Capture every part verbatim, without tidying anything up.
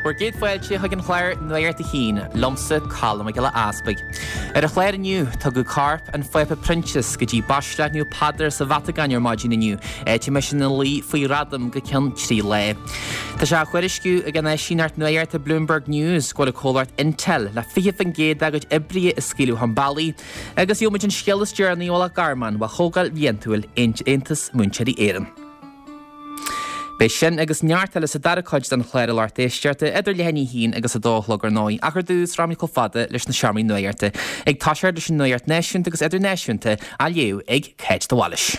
Bhur gcéad fáilte chuig an chlár Nuacht a hAon, liomsa Colm Mac Giolla Easpaig. Ar an chlár inniu, tugadh corp an Phápa Proinsias go dtí Baisleac Naomh Peadar sa Vatacáin ar maidin inniu, áit a mbeidh sé ina luí faoi ghradam go ceann trí lá. Tá sé á thuairisciú ag an áisíneacht nuachta Bloomberg News go bhfuil an comhlacht Intel le fiche faoin gcéad dá gcuid oibrithe a scaoileadh chun bealaigh, agus gheobhaimid an scéal is deireanaí ó Loch Garman ó Chomhdháil Bhliantúil Aontas Múinteoirí Éireann. Beidh sin agus neart eile sa dara cuid den chlár a lucht éisteachta idir leath i ndiaidh a haon agus a dó a chlog ar ndóigh, ach ar dtús rachaimid chomh fada leis na seomraí nuachta, ag toiseacht leis an nuacht náisiúnta agus idirnáisiúnta á léamh ag Cáit de Bhailís.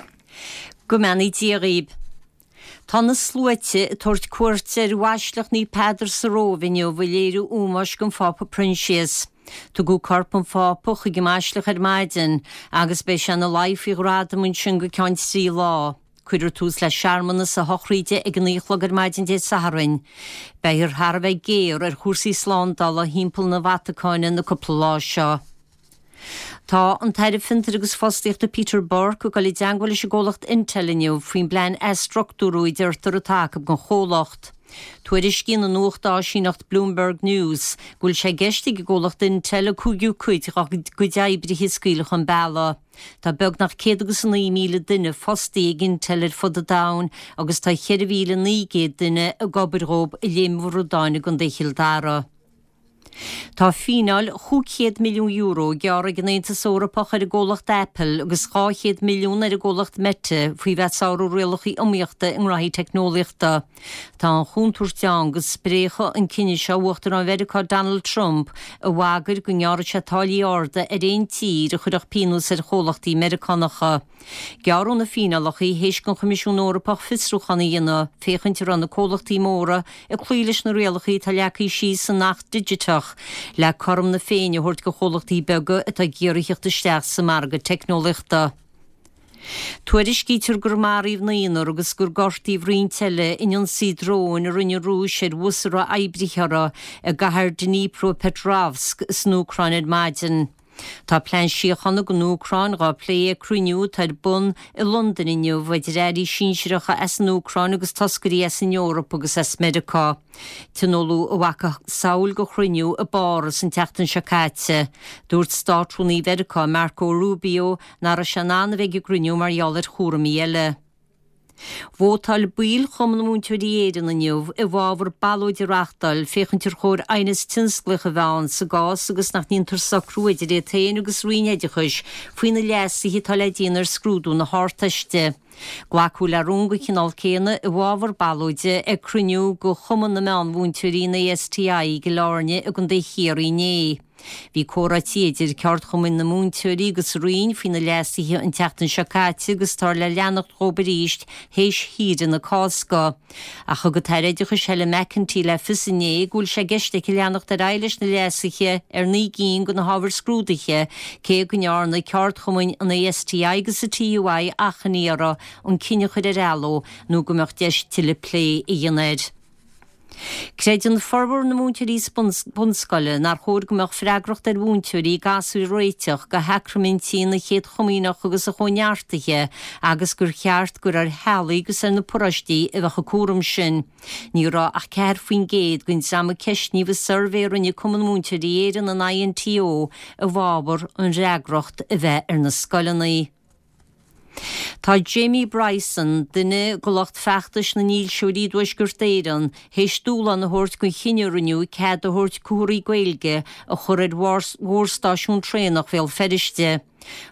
Go mbeannaí Dia dhaoib. Tá na sluaite ag tabhairt cuairte ar Bhaisleac Naomh Peadar sa Róimh inniu ag léiriú ómóis don Phápa Proinsias. Tugadh corp an Phápa chuig an mbaisleac ar maidin agus beidh sé ina luí faoi ghradam ansin go ceann trí lá. Cuirfear tús le searmanas a shochraide ag a naoi a chlog ar maidin Dé Sathairn. Beifear thar a bheith géar ar chúrsaí slándála thimpeall na Vatacáine na cúpla lá seo. Tá an tAire Fiontair agus Fostaíochta Peter Burke ag dul i dteagmháil leis an gcomhlacht Intel inniu faoin bplean athstruchtúrú a deirtear atá acu don chomhlacht. Tuairiscíonn an nuachtáisíneacht Bloomberg News go bhfuil sé i gceist ag an gcomhlacht Intel an cúigiú cuid dá gcuid oibrithe a scaoileadh chun bealaigh. Tá beagnach céad agus a naoi míle duine fostaithe ag Intel ar fud an domhain agus tá ceithre mhíle naoi gcéad duine ag obair dhóibh i Léim Bhradáin i gContae Chill Dara. Tá fíneáil chúig chéad milliún euro gearrtha ag an Aontas Eorpach ar an gcomhlacht Apple agus dhá chéad milliún ar an gcomhlacht Meta faoi bheith ag sárú rialacha iomaíochta i ngraithí teicneolaíochta. Tá an chontúirt ann go spréachfadh an cinneadh seo Uachtarán Mheiriceá Donald Trump a bhagair go ngearrfadh sé táillí arda ar aon tír a chuirfeadh pionós ar chomhlachtaí Meiriceánacha. Gearradh na fíneálacha théis don Choimisiún Eorpach fiosrúchán a dhéanamh féachaint an raibh na comhlachtaí móra ag cloí leis na rialacha atá leagtha síos san Acht Digiteach le cothrom na Féinne a thabhairt do chomhlachtaí beaga atá ag iarraidh theacht isteach sa margadh teicneolaíochta. Tuairiscítear gur maraíodh naonúr agus gur gortaíodh roinnt eile in ionsaí dróin a rinne an Rúis ar bhus a raibh oibrithe orthu i gcathair Dnipropetrovsk san Úcráin ar maidin. Tá plean síochána don Úcráin á phlé ag cruinniú atá ar bun i Londain inniu idir airí sinsearacha as an Úcráin agus toscairí as an Eoraip agus as Meiriceá. Tionóladh a mhacasamhail de chruinniú i bPáras an tseachtain seo caite. Dúirt Státrúnaí Mheiriceá Marco Rubio nach raibh sé in ann a bheith ag an gcruinniú mar gheall ar chúraimí eile. Vótáil baill Chumann Múinteoirí Éireann inniu i bhfabhar ballóid a reáchtáil féachaint ar chóir aighneas tionsclaíoch a bheith ann sa gcás agus nach ndéantar socrú idir iad féin agus Roinn Oideachais faoi na leasuithe atá le déanamh ar scrúdú na hArdteiste. Glacadh le rún den chineál céanna i bhfabhar ballóide ag cruinniú de Chumann na Meánmhúinteoirí an ASTI i gCill Airne i gContae Chiarraí inné. Bhí comhráití idir ceardchumainn na múinteoirí agus an Roinn faoi na leasuithe an tseachtain seo caite agus táthar le leanacht dhóibh arís théis shaoire na Cásca. Ach thug an tAire Oideachais Helen McEntee le fios inné go bhfuil sé i gceist aici leanacht ar aghaidh leis na leasuithe ar naoi gcinn de na hábhair scrúdaithe, cé go ndearna ceardchumainn an ASTI agus an TUI achainí uirthi an cinneadh a chur ar athló nó go mbeadh deis tuilleadh plé a dhéanamh air. Creideann formhór na múinteoirí bunscoile nár chóir go mbeadh freagracht ar mhúinteoirí gasúir a réiteach do shacraimintí na Chéad Chomaoineach agus an Chóineartaithe agus gur cheart gur ar theaghlaigh agus ar na paróistí a bheadh an cúram sin. Ní raibh ach ceathair faoin gcéad den dream a ceistníodh i suirbhé a rinne Cumann Múinteoirí Éireann, an INTO, i bhfabhar an fhreagracht a bheith ar na scoileanna. Tá Jamie Bryson, duine de lucht feachtais na nDílseoirí i dTuaisceart Éireann, théis dúshlán a thabhairt don chinneadh a rinneadh cead a thabhairt comharthaí Gaeilge a chur ar mhórstáisiún traenach Bhéal Feirste.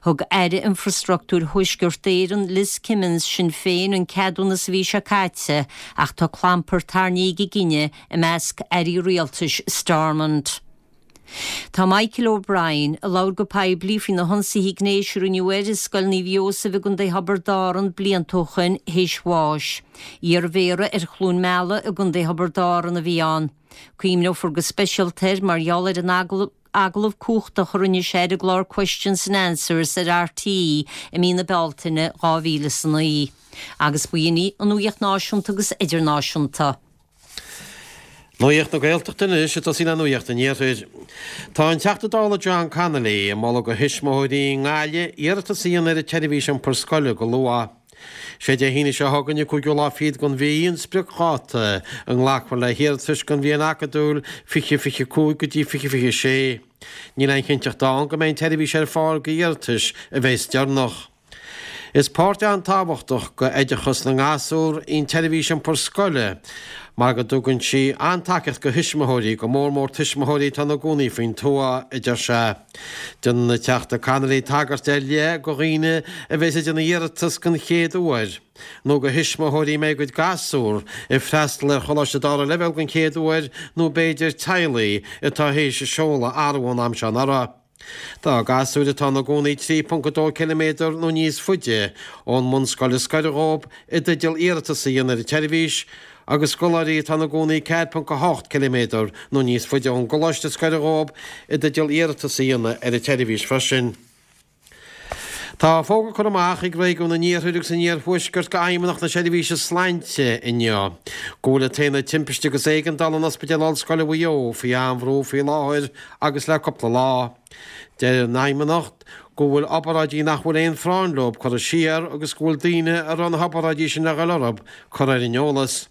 Thug Aire Infreastruchtúir Thuaisceart Éireann, Liz Kimmins, Sinn Féin, an ceadúnas an mhí seo caite ach tá clampar tarraingthe ag an gcinneadh i measc airí rialtais Stormont. Tá Michael O'Brien, a labhair go poiblí faoi na hionsaithe gnéis a rinneadh air i Scoil Naomh Iósaf i gContae Thiobraid Árann blianta ó shoin, théis bháis. Iarmhéara ar Chluain Meala i gContae Thiobraid Árann a bhí ann. Cuimhneofar go speisialta air mar gheall ar an agallamh cumhachtach a rinne sé ar an gclár Questions and Answers ar RTÉ i mí na Bealtaine dhá mhíle is a naoi. Agus ba shin í an nuacht náisiúnta agus idirnáisiúnta. Nuacht na Gaeltachta anois, ag tosaí le Nuacht an Iarthair. Tá an Teachta Dála John Connolly ag moladh do thuismitheoirí i nGaillimh iarratas a dhéanamh ar an tseirbhís iompar scoile go luath. Sé Dé hAoine seo chugainn an cúigiú lá fichead den mhí an spriocdháta a nglacfar le hiarratais don bhliain acadúil fiche fiche cúig go dtí fiche fiche sé. Níl aon chinnteacht ann go mbeidh an tseirbhís ar fáil go iarratais a bheas deireanach. Is páirt an-tábhachtach go oideachas na ngasúr í an tseirbhís iompar scoile mar go dtugann sí an-tacaíocht go thuismitheoirí, go mór mór tuismitheoirí atá ina gcónaí faoin tuath, a deir sé. Déanann an Teachta Connolly tagairt ar leith go dhaoine a bheas ag déanamh iarratas den chéad uair, nó go thuismitheoirí a mbeidh a gcuid gasúr ag freastal ar choláiste dara leibhéal den chéad uair nó b'fhéidir teaghlaigh atá théis a seoladh a athrú ón am seo anuraidh. Tá gasúir atá ina gcónaí trí ponc a dó ciliméadar nó níos faide ón mbunscoil is gaire dhóibh i dteideal iarratas a dhéanamh ar an tseirbhís agus scoláirí atá ina gcónaí ceathair ponc a hocht ciliméadar nó níos faide ón gcoláiste is gaire dhóibh i dteideal iarratas a dhéanamh ar an tseirbhís freisin. Tá fógra curtha amach ag réigiún an Iarthair agus an Iarthuaiscirt go Fheidhmeannacht na Seirbhíse Sláinte inniu go bhfuil an tAonad Timpiste agus Éigeandála in Ospidéal Ollscoile Mhaigh Eo faoi an-bhrú faoi láthair agus le cúpla lá. Deir an Fheidhmeannacht go bhfuil obráidí nach bhfuil aon phráinn leo curtha siar agus go bhfuil daoine a raibh na hobráidí sin le dhul orthu curtha ar an eolas.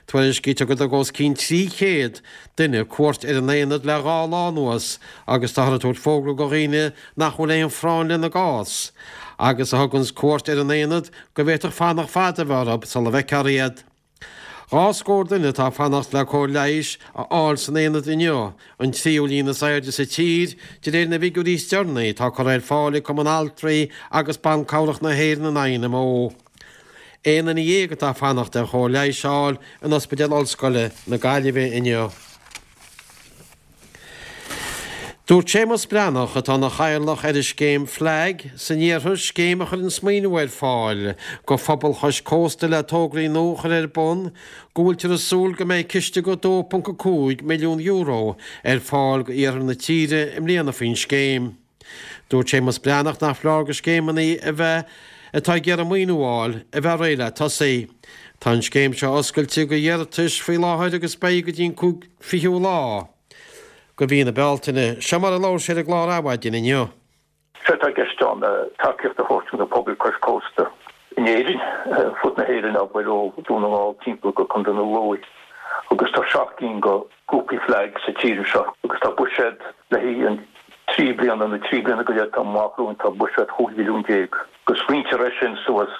Tuairiscítear go dtug os cionn trí chéad duine cuairt ar an aonad le dhá lá anuas agus táthar ag tabhairt fógra go dhaoine nach bhfuil aon phráinn lena gcás agus a thuganns cuairt ar an aonad go bhféadfadh fanacht fada a bheith orthu sula bhfeicfear iad. Dhá scór duine atá ag fanacht le cóir leighis a fháil san aonad inniu, an tríú líon is airde sa tír, de réir na bhfigiúirí is deireanaí atá curtha ar fáil ag Cumann Altraí agus Ban Cabhrach na hÉireann, an I M O. Aon duine dhéag atá ag fanacht ar chóir leighis a fháil in Ospidéal Ollscoile na Gaillimhe inniu. Dúirt Séamus Breathnach, atá ina chathaoirleach ar an scéim FLAG san iarthar, scéim a chuireann maoiniú ar fáil go phobal chois cósta le tograí nua a chur ar bun, go bhfuiltear ag súil go mbeidh ciste go dó ponc a cúig milliún euro ar fáil go iarthar na tíre i mbliana faoin scéim. Dúirt Séamus Breathnach nach foláir go scéimeanna a bheith atá ag iarraidh maoiniú a fháil a bheith réidh le tosaí. Tá an scéim seo oscailte go iarratais faoi láthair agus beidh go dtí an cúig fichiú lá go mhí na Bealtaine. Seo mar a labhair sé ar an gclár Adhmhaidin inniu. Sé atá i gceist ann tacaíocht a thabhairt do na pobail cois cósta in Éirinn, fud na hÉireann, abair ó Dhún na nGall timpeall go Contae na Lú. Agus tá seacht gcinn go grúpaí FLAG sa tír seo agus tá buiséad le haghaidh an trí bliana nó trí bliana go leith atá amach romhainn, tá buiséad chúig mhilliún déag agus roinntear é sin suas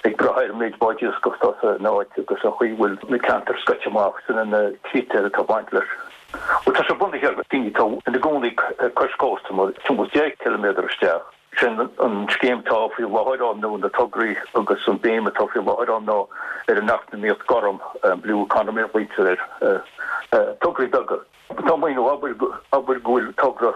ag brath ar an méid báid iascaigh atá san áit agus an chaoi a bhfuil na ceantair scoite amach, sin na critéir atá ag baint leis. Bhuel, tá sé bunaithe ar daoine atá ina gcónaí cois cósta, nó timpeall deich ciliméadar isteach. Sin an scéim atá faoi láthair ann nó na tograí agus an béim atá faoi láthair ann ná ar an eacnamaíocht gorm, blue economy a ghlaoitear air, tograí beaga. Tá maoiniú, abair go bhfuil togra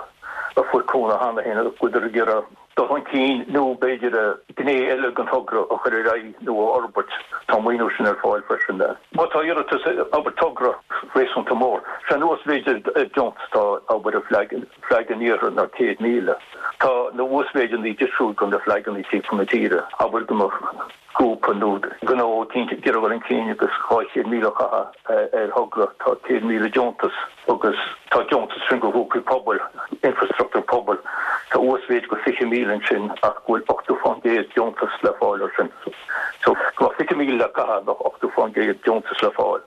a fuair cúnamh cheana féin agus go bhfuiltear ag iarraidh dul chun cinn nó b'fhéidir gné eile den togra a chur ar aghaidh nó a fhorbairt, tá an maoiniú sin ar fáil freisin. Má tá iarratas, abair togra réasúnta mór, sé an uasmhéid ar deontas atá, abair, ar FLAG, FLAG an Iarthair ná céad míle. Tá na uasmhéideanna difriúil do na FLAGanna timpeall na tíre, abair go mbeadh grúpa nó gnó eicínt ag iarraidh dul chun cinn agus dhá chéad míle a chaitheamh ar thogra, tá céad míle deontas agus tá deontas ansin do ghrúpaí pobail, infrastruchtúr pobail, tá uasmhéid go fiche míle ansin ach go bhfuil ochtó fán gcéad deontas le fáil ar sin. So go mbeadh fiche míle le caitheamh bheadh ochtó fán gcéad deontas le fáil.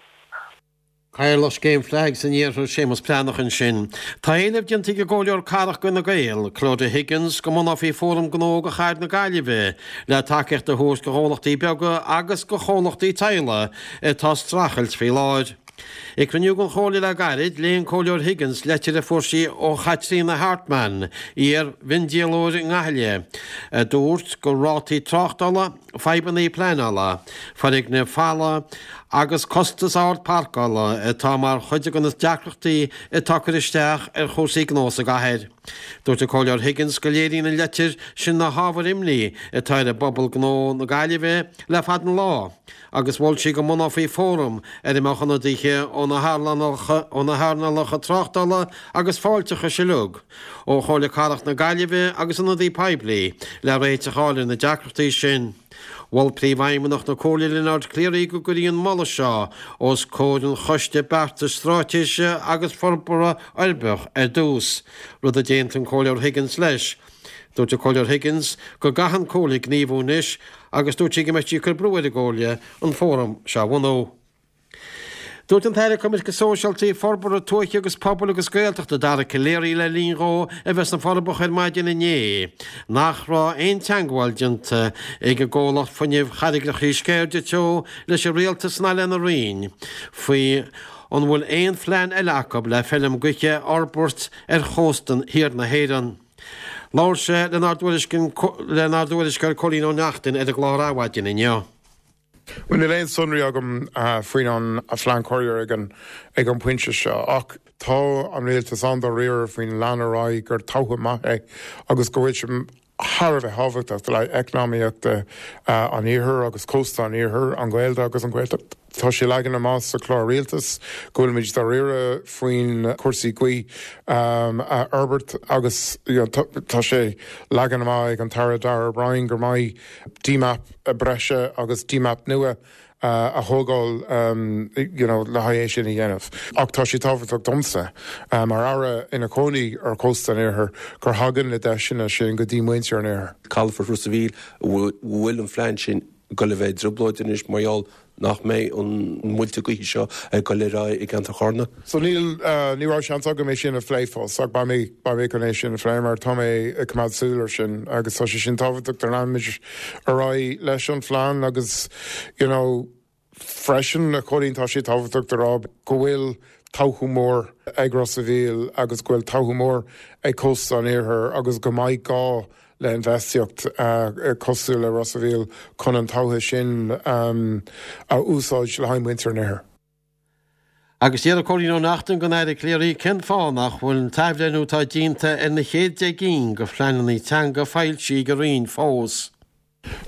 Cathaoirleach Scéim FLAG san Iarthar, Séamus Breathnach ansin. Tá éileamh déanta ag an gComhairleoir Cathrach d'Fhine Gael, Clodagh Higgins, go mbunófaí Fóram Gnó do Chathair na Gaillimhe le tacaíocht a thabhairt do ghnólachtaí beaga agus do chomhlachtaí teaghlaigh atá ag streachailt faoi láthair. Ag cruinniú den Chomhairle le gairid, léigh an Comhairleoir Higgins leitir a fuair sí ó Chaitríona Hartmann, iar-mhiondíolóir i nGaillimh, a dúirt gur rátaí tráchtála, fadhbanna pleanála, foirgnimh folamha agus costas ard páirceála atá mar chuid de na deacrachtaí atá ag cur isteach ar chúrsaí gnó sa gcathair. Dúirt an Comhairleoir Higgins go léiríonn an leitir sin na hábhair imní atá ar an bpobal gnó na Gaillimhe le fada an lá agus mhol sí go mbunófaí fóram ar a mbeadh ionadaithe ó na hearnálacha tráchtála agus fáilteachais uilig, ó Chomhairle Cathrach na Gaillimhe agus ionadaí poiblí le réiteach a fháil ar na deacrachtaí sin. Mhol Príomhfheidhmeannach na Comhairle Leonard Cleary go gcuirfí an moladh seo os comhair an Choiste Beartais Straitéise agus Forbartha Uirbeach ar dtús, rud a d'aontaigh an Comhairleoir Higgins leis. Dúirt an Comhairleoir Higgins go gcaithfidh an Chomhairle gníomhú anois agus dúirt sí go mbeidh sí ag cur brú ar an gComhairle an fóram seo a bhunú. Dúirt an tAire Coimirce Sóisialta, Forbartha Tuaithe agus Pobail agus Gaeltachta Dara Calleary le linn dhó a bheith sna Forbacha ar maidin inné nach raibh aon teagmháil déanta ag an gcomhlacht fuinnimh Charraigreacha Sceirde Teo leis an Rialtas ná lena Roinn faoi an bhfuil aon phlean eile acu le feilm gaoithe a fhorbairt ar chósta thiar na hÉireann. Labhair sé lenár dtuairisceoir Cóilín Ó Neachtain ar an gclár Adhmhaidin inniu. Bhuel níl aon sonraí agam faoin an phlean cóir ag an ag an bpointe seo ach tá an rialtas an-dáiríre faoin lean ar aghaidh gur togha maith é agus go bhfuil sé thar a bheith tábhachtach le eacnamaíochta an iarthair agus cósta an iarthair, an Ghaeilge agus an Ghaeltacht. Tá sé leagtha amach sa chlár rialtais go bhfuilimid dáiríre faoin cúrsaí gaoithe a fhorbairt agus tá sé leagtha amach ag an tAire Darragh O'Brien gur mbeidh DMAP breise agus DMAP nua a thógáil you know, le haghaidh é sin a dhéanamh. Ach tá sé tábhachtach domsa mar aire ina chónaí ar chósta an iarthair gur thagann na deiseanna sin go dtí muintir an iarthair. Calafort Ros a' Mhíl bhfuil an phlean sin ag dul a bheith i dtrioblóid anois mar gheall nach mbeidh an muilte gaoithe seo ag dul ar aghaidh i gceantar Charna. So níl ní raibh seans agam é sin a phlé fós ach beidh mé beidh mé chun é sin a phlé mar tá mé ag coimeád súil ar sin agus tá sé sin tábhachtach do leanfaimid ar aghaidh leis an phlean agus you know, freisin a Chóilín tá sé tábhachtach do rá go bhfuil todhchaí mór ag Ros a' Mhíl agus go bhfuil todhchaí mór ag cósta an iarthair agus go mbeidh gá le infheistíocht uh, cosúil le Ros a' Mhíl chun an todhchaí sin um, a úsáid le haghaidh muintir an iarthair. Agus d'iarr Cóilín Ó Neachtain den Aire Calleary cén fáth nach bhfuil an t-athbhreithniú atá déanta ar na chéad deich gcinn de phleananna teanga foilsithe ag an Roinn fós.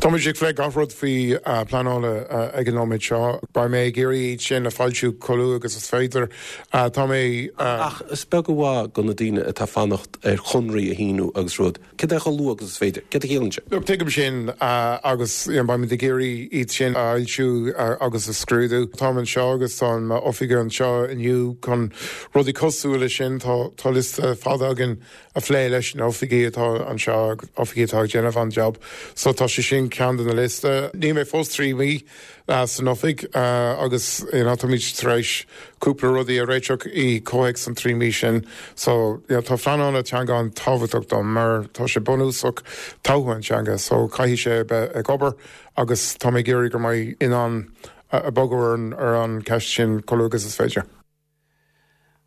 Táimid ag plé gach rud faoi uh, pleanála uh, ag an nóiméad seo, Beidh mé ag iarraidh sin a fhoilsiú chomh luath agus is féidir uh, tá mé Ach is beag amháin go na daoine atá fanacht ar chonraí a shíniú agus rud. Cé chomh luath agus is féidir, Cé chiallaíonn sé? Look, tuigim sin uh, agus beimid ag iarraidh iad sin a fhoilsiú uh, agus a scrúdú. Tá seo agus tá oifigigh anseo inniu chun rudaí cosúil leis sin tá tá liosta fada againn a phlé leis na hoifigigh atá anseo oifigigh atá ag déanamh an job. So tá sé sin ceann den na liosta. Níl mé fós trí mhí uh, san oifig uh, agus you know, táimid tar éis cúpla rudaí a réiteach i gcomhthéacs an trí mhí sin. So you know, tá pleanáil teanga an-tábhachtach dom mar tá sé bunúsach todhchaí an teanga, so caithfidh sé bheith ag obair agus tá mé ag iarraidh go mbeidh in ann a bogadh ar an ceist sin chomh luath agus is féidir.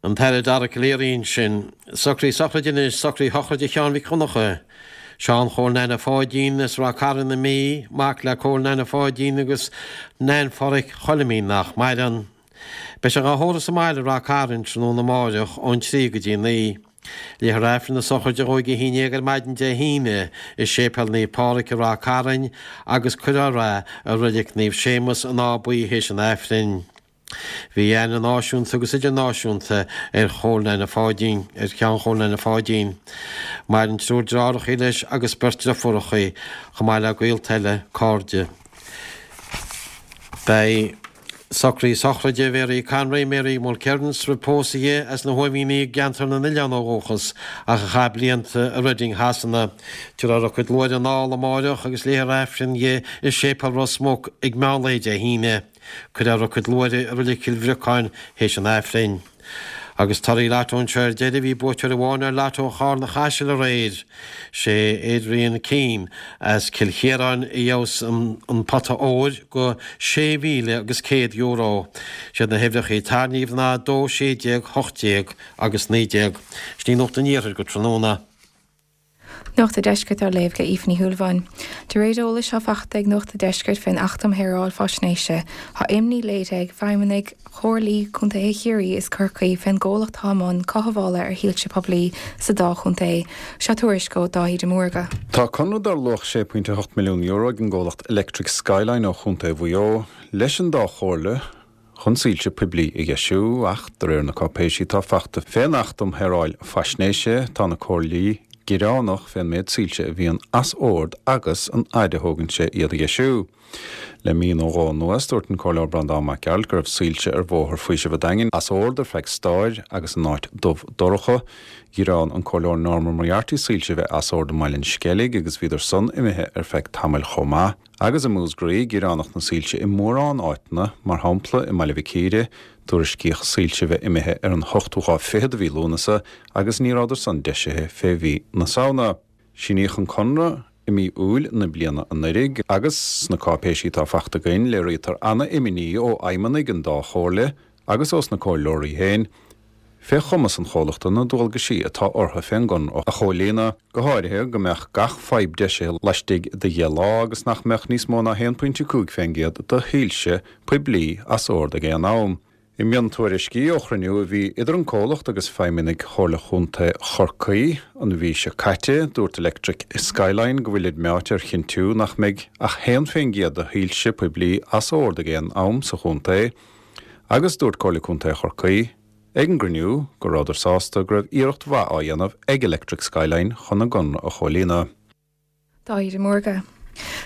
An tAire Dara Calleary ansin, socruithe sochraide anois socruithe shochraide Sheáin Mhic Dhonncha. Seán Chóil Nana Pháidín as Ráth Cairn na Mí, mac le Cóil Nana Pháidín agus Nan Pháraic Choilmín nach maireann. Beidh sé á thórramh sa mbaile Ráth Cairn tráthnóna amáireach ón trí go dtí naoi. Léifear Aifreann na sochraide a dó a haon déag ar maidin Dé hAoine i Séipéal Naomh Pádraig i Ráth Cairn agus cuirfear é i Reilig Naomh Séamus an Áth Buí théis an Aifrinn. Bhí aithne náisiúnta agus idirnáisiúnta ar Chóil Nana Pháidín ar Sheán Chóil Nana Pháidín. Maireann triúr deartháireacha leis agus beirt deirfiúracha chomh maith le gaolta eile cairde. Beidh socruithe sochraide Mary Conroy Mary Mulkerrins roimh pósadh di as na hÓimhíní i gceantar na nOileán ó dhúchas ach a chaith blianta i Reading Shasana. Tabharfar a cuid luaithre anall amáireach agus léifear Aifreann di i Séipéal Ros Muc ag meán lae Dé hAoine. Cuirfear a cuid luaithre i Reilig Chill Bhriocáin théis an Aifrinn. Agus torthaí Lotto anseo ar deireadh bhí buaiteoir amháin ar Lotto Charna Chaisil aréir. Sé Adrian Keane as Cill Chiaráin a ghnóthaigh an, an pota óir go sé mhíle agus céad euro. Siad na huimhreacha tarraingthe ná dó sé déag hocht déag agus naoi déag. Sin í Nuacht an Iarthair go tráthnóna. Nuacht an Deiscirt á léamh ag Aoife Ní Shúilleabháin. De réir eolais atá faighte ag Nuacht an Deiscirt fén Acht um Shaoráil Faisnéise, tá imní léirithe ag feidhmeannaigh Chomhairlí Contaetha Chiarraí is Corcaí fén gcomhlacht atá i mbun cothabhála ar shoilse poiblí sa dá chontae. Seo tuairisc ó Dáithí de Mórdha. Tá conradh dar luach sé pointe hocht milliún euro ag an gcomhlacht Electric Skyline ó Chontae Mhaigh Eo leis an dá chomhairle chun soilse poiblí a dheisiú ach de réir na cáipéisí atá faighte fén Acht um Shaoráil Faisnéise tá na comhairlí gearánach fén méid soilse a bhíonn as ord agus an fhaid a thógann sé iad a dheisiú. Le mí nó dhó anuas, dúirt an Comhairleoir Breandán Mac Gearailt go raibh soilse ar Bhóthar Faoisimh an Daingin as ord ar feadh stair agus an áit dubh dorcha. Ghearán an Comhairleoir Norma Moriarty soilse bheith as ord i mBaile an Sceilg agus bhíodar san imithe ar feadh tamaill chomh maith. Agus i Múscraí, gearánach na soilse i mórán áiteanna, mar shampla i mBaile Mhic Íre, tuairiscíodh soilse bheith imithe ar an hochtú lá fichead de mhí Lúnasa agus ní rabhadar san deisithe fé mhí na Samhna. Síníodh an conradh i mí Iúil na bliana anuraidh agus sna cáipéisí atá fachta againn léirítear ana-imní ó fheidhmeannaigh an dá chomhairle agus ós na comhairleoirí féin fé chumas an chomhlachta na dualgaisí atá orthu fén gconradh a chomhlíonadh, go háirithe go mbeadh gach fadhb deisithe laistigh de dheich lá agus nach mbeadh níos mó ná haon pointe cúig fén gcéad de shoilse poiblí as ord ag aon am. I miontuairiscí ó chruinniú a bhí idir an comhlacht agus feidhmeannaigh Chomhairle Chontae Chorcaí an mhí seo caite, dúirt Electric Skyline go bhfuilid meáite ar chinntiú nach mbeidh ach haon fén gcéad de shoilse poiblí as ord ag aon am sa chontae agus dúirt Comhairle Contae Chorcaí ag an gcruinniú go rabhadar sásta go raibh iarracht mhaith á dhéanamh ag Electric Skyline chun a gconradh a chomhlíonadh. Dáithí de Mórdha.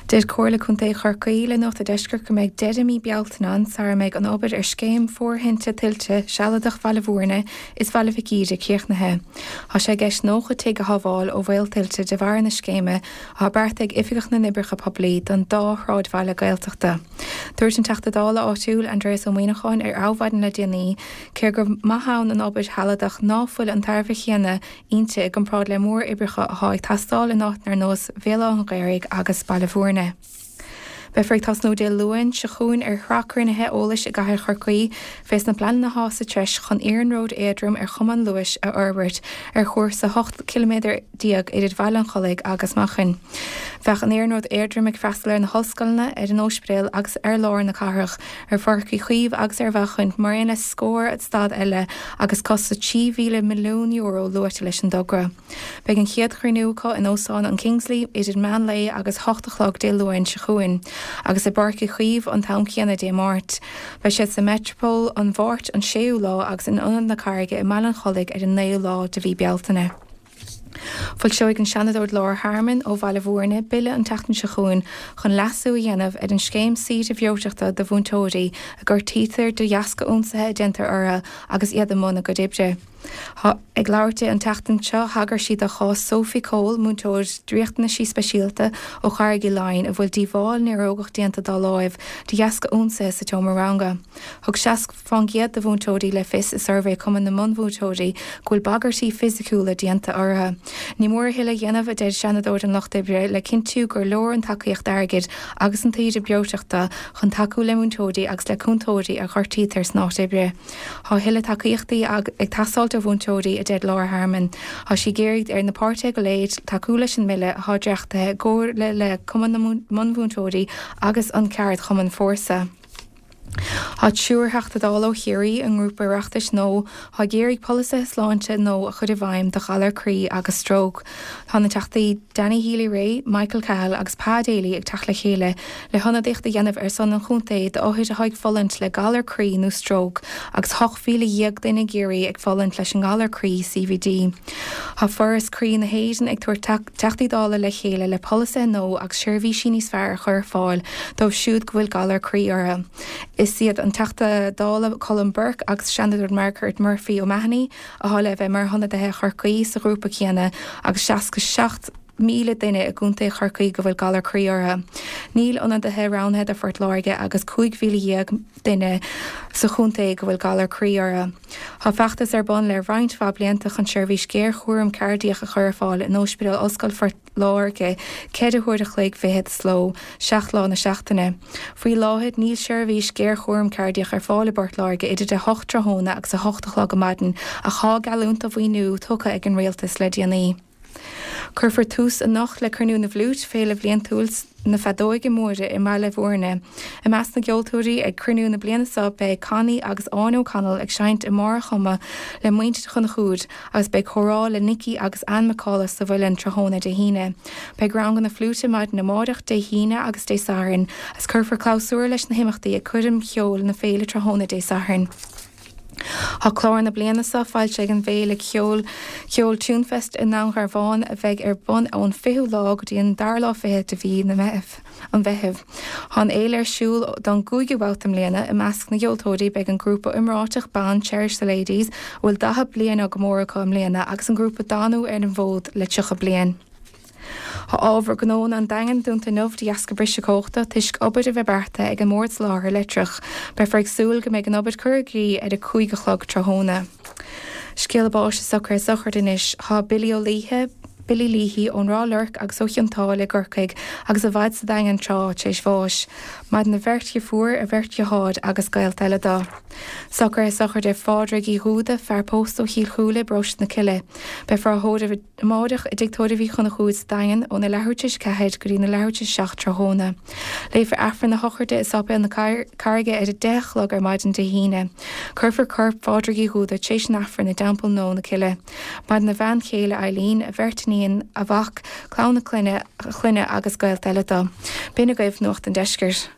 Deir Comhairle Contae Chorcaí le Nuacht a' Deiscirt go mbeidh deireadh mí Bealtaine ann sara mbeidh an obair ar scéim fóirithinte tuilte sealadach Bhaile Bhúirne is Bhaile Mhic Íre críochnaithe. Tá sé i gceist nócha tigh a shábháil ó bhaol tuilte de bharr na scéime atá beartaithe ag Oifigeach na nOibreacha Poiblí don dá shráidbhaile Gaeltachta. Dúirt an Teachta Dála áitiúil Aindrias Ó Muíneacháin ar Adhmhaidin le déanaí cé gur maith ann an obair shealadach ná fuil an tairbhe chéanna inti i gcomparáid le móroibreacha atá ag teastáil in áiteanna ar nós Bhéal Átha an Ghaorthaidh agus Baile Bhúirne. Beifear ag tosnú Dé Luain seo chugainn ar shraith cruinnithe eolais i gcathair Chorcaí fés na pleananna athá sa treis chun iarnród éadrom ar chuma an Luais a fhorbairt ar chúrsa ocht ciliméadar déag idir Bhaile an Chollaigh agus Machain. Bheadh an iarnród éadrom ag freastal ar na hollscoileanna, ar an óispidéal agus ar lár na cathrach, ar Pháirc Uí Chaoimh agus ar Mhachain mar aon le scór stad eile agus costas trí mhíle milliún euro luaite leis an dtogra. Beidh an chéad chruinniú acu in Óstán an Kingsley idir meán lae agus hocht a chlog Dé Luain seo chugainn agus i bPáirc Uí Chaoimh an t-am céanna Dé Máirt. Beidh siad sa Metropole an Mháirt an séú lá agus in Ionad na Carraige i mBaile an Chollaigh ar an naoú lá de mhí Bealtaine. Foilseoidh an Seanadóir Laura Harmon ó Bhaile Bhúirne bille an tseachtain seo chugainn chun leasú a dhéanamh ar an scéim saoire bhreoiteachta do mhúinteoirí a gortaítear de dheasca ionsaithe a déantar orthu agus iad i mbun a gcuid oibre. Ag labhairt di an tseachtain seo, thagair sí do chás Sophie Cole, múinteoir riachtanaisí speisialta ó Charraig Uí Leighin a bhfuil díobháil néarógach déanta dá láimh de dheasca ionsaithe sa tseomra ranga. Thug seasca fán gcéad de mhúinteoirí le fios i suirbhé Chumann na Bunmhúinteoirí go bhfuil bagairtí fisiciúla déanta orthu. Ní mór a thuilleadh a dhéanamh, a deir Seanadóir an Lucht Oibre, le cinntiú gur leor an tacaíocht airgid agus an tsaoire breoiteachta chun tacú le múinteoirí agus le cúntóirí a ghortaítear san áit oibre. Tá a thuilleadh tacaíochtaí ag teastáilt ó mhúinteoirí, a deir Laura Harmon. Tá sí ag iarraidh ar na páirtithe go léir tacú leis an mbille atá dréachtaithe i gcomhairle le Cumann na mBunmhúinteoirí agus an ceardchumann Fórsa. Tá triúr Theachta Dála ó Chiarraí i ngrúpa Oireachtais nua atá ag iarraidh polasaithe sláinte nua a chur i bhfeidhm do ghalair croí agus stróc. Tá na Teachtaí Danny Healy-Rae, Michael Cahill agus Pa Daly ag teacht le chéile le hionadaíocht a dhéanamh ar son an chontae d'othair atá ag fulaingt le galar croí nó stróc agus ocht mhíle dhéag duine i gCiarraí ag fulaingt leis an ngalar croí C V D. Tá Foras Croí na hÉireann ag tabhairt Teachtaí Dála le chéile le polasaithe nua agus seirbhísí níos fearr a chur ar fáil dóibh siúd go bhfuil galar croí orthu. Is iad an Teachta Dála Colm Burke agus Seanadóir Margaret Murphy O'Mahony atá le bheith mar hionadaithe Chorcaí sa ghrúpa céanna agus seasca seacht míle duine i gContae Chorcaí go bhfuil galar croí orthu. Níl ionadaithe roghnaithe do Phort Láirge agus cúig mhíle dhéag duine sa chontae go bhfuil galar croí orthu. Tá feachtas ar bun le roinnt mhaith blianta chun seirbhís géarchúram cairdiach a chur ar fáil in Ospidéal Ollscoil Phort Láirge ceithre huaire a chloig fichead sa ló, seacht lá na seachtaine. Faoi láthair níl seirbhís géarchúram cairdiach ar fáil i bPort Láirge idir a hocht tráthnóna agus a hocht a chlog ar maidin ach tá geallúint do mhaoiniú tugtha ag an Rialtas le déanaí. Cuirfear tús anocht le Cruinniú na bhFliúit, féile bhliantúil na feadóige móire i mBaile Bhúirne. I measc na gceoltóirí ag cruinniú na bliana seo beidh Connie agus Áine O'Connell ag seinnt i mbarr a chuma le muintir Chonchúir agus beidh comhrá le Nicky agus Ann McAuliffe sa Mhuileann tráthnóna Dé hAoine. Beidh ranganna fliúite maidin amárach, Dé hAoine agus Dé Sathairn agus cuirfear clabhsúr leis na himeachtaí ag coirm cheoil na féile tráthnóna Dé Sathairn. Tá Tá clár na bliana seo foilsithe ag an bhféile ceoil ceoil Tunefest i nDún Garbhán a bheidh ar bun ón fichiú lá go dtí an dara lá fichead de mhí na Meitheamh an Mheithimh. Tá an fhéile ar siúl don gcúigiú babhta i mbliana i measc na gceoltóirí beidh an grúpa iomráiteach ban Cherish the Ladies a bhfuil daichead bliain á gcomóradh acu i mbliana agus an grúpa Danú ar an bhfód le tríocha bliain. Tá ábhar gnónna an Daingin dúnta inniu de dheasca briseadh cumhachta toisc obair a bheith beartaithe ag an mBord Soláthair Leictreach. Beifear ag súil go mbeidh an obair curtha i gcrích ar a cúig a chlog tráthnóna. Scéala báis is socruithe sochraide anois. Tá Billy Ó Laoithe, Billy Leahy ón Ráth Luirc agus ó Chionn tSáile i gCorcaigh agus a mhaid sa Daingean tráth tar éis bháis. Maireann a bheirt dheirfiúr, a bheirt dheartháir agus gaolta eile dó. Socruithe sochraide Phádraig Uí Dhúda, fear pósta ó Chill Chúile i bparóiste na Cille. Beifear á thórramh amáireach i dTigh Tórraimh Uí Chonchúir sa Daingean óna leathuair tar éis a ceathair go dtí na leathuair tar éis a seacht tráthnóna. Léifear Aifreann na sochraide i Sáipéal na Carraige ar a deich a chlog ar maidin Dé hAoine. Cuirfear corp Phádraig Uí Dhúda tar éis an Aifrinn i dTeampall Nua na Cille. Maireann a bhean chéile Eileen, a bheirt iníon, a mhac, clann a clainne, a chlainne agus gaolta eile dó. B'in agaibh Nuacht an Deiscirt.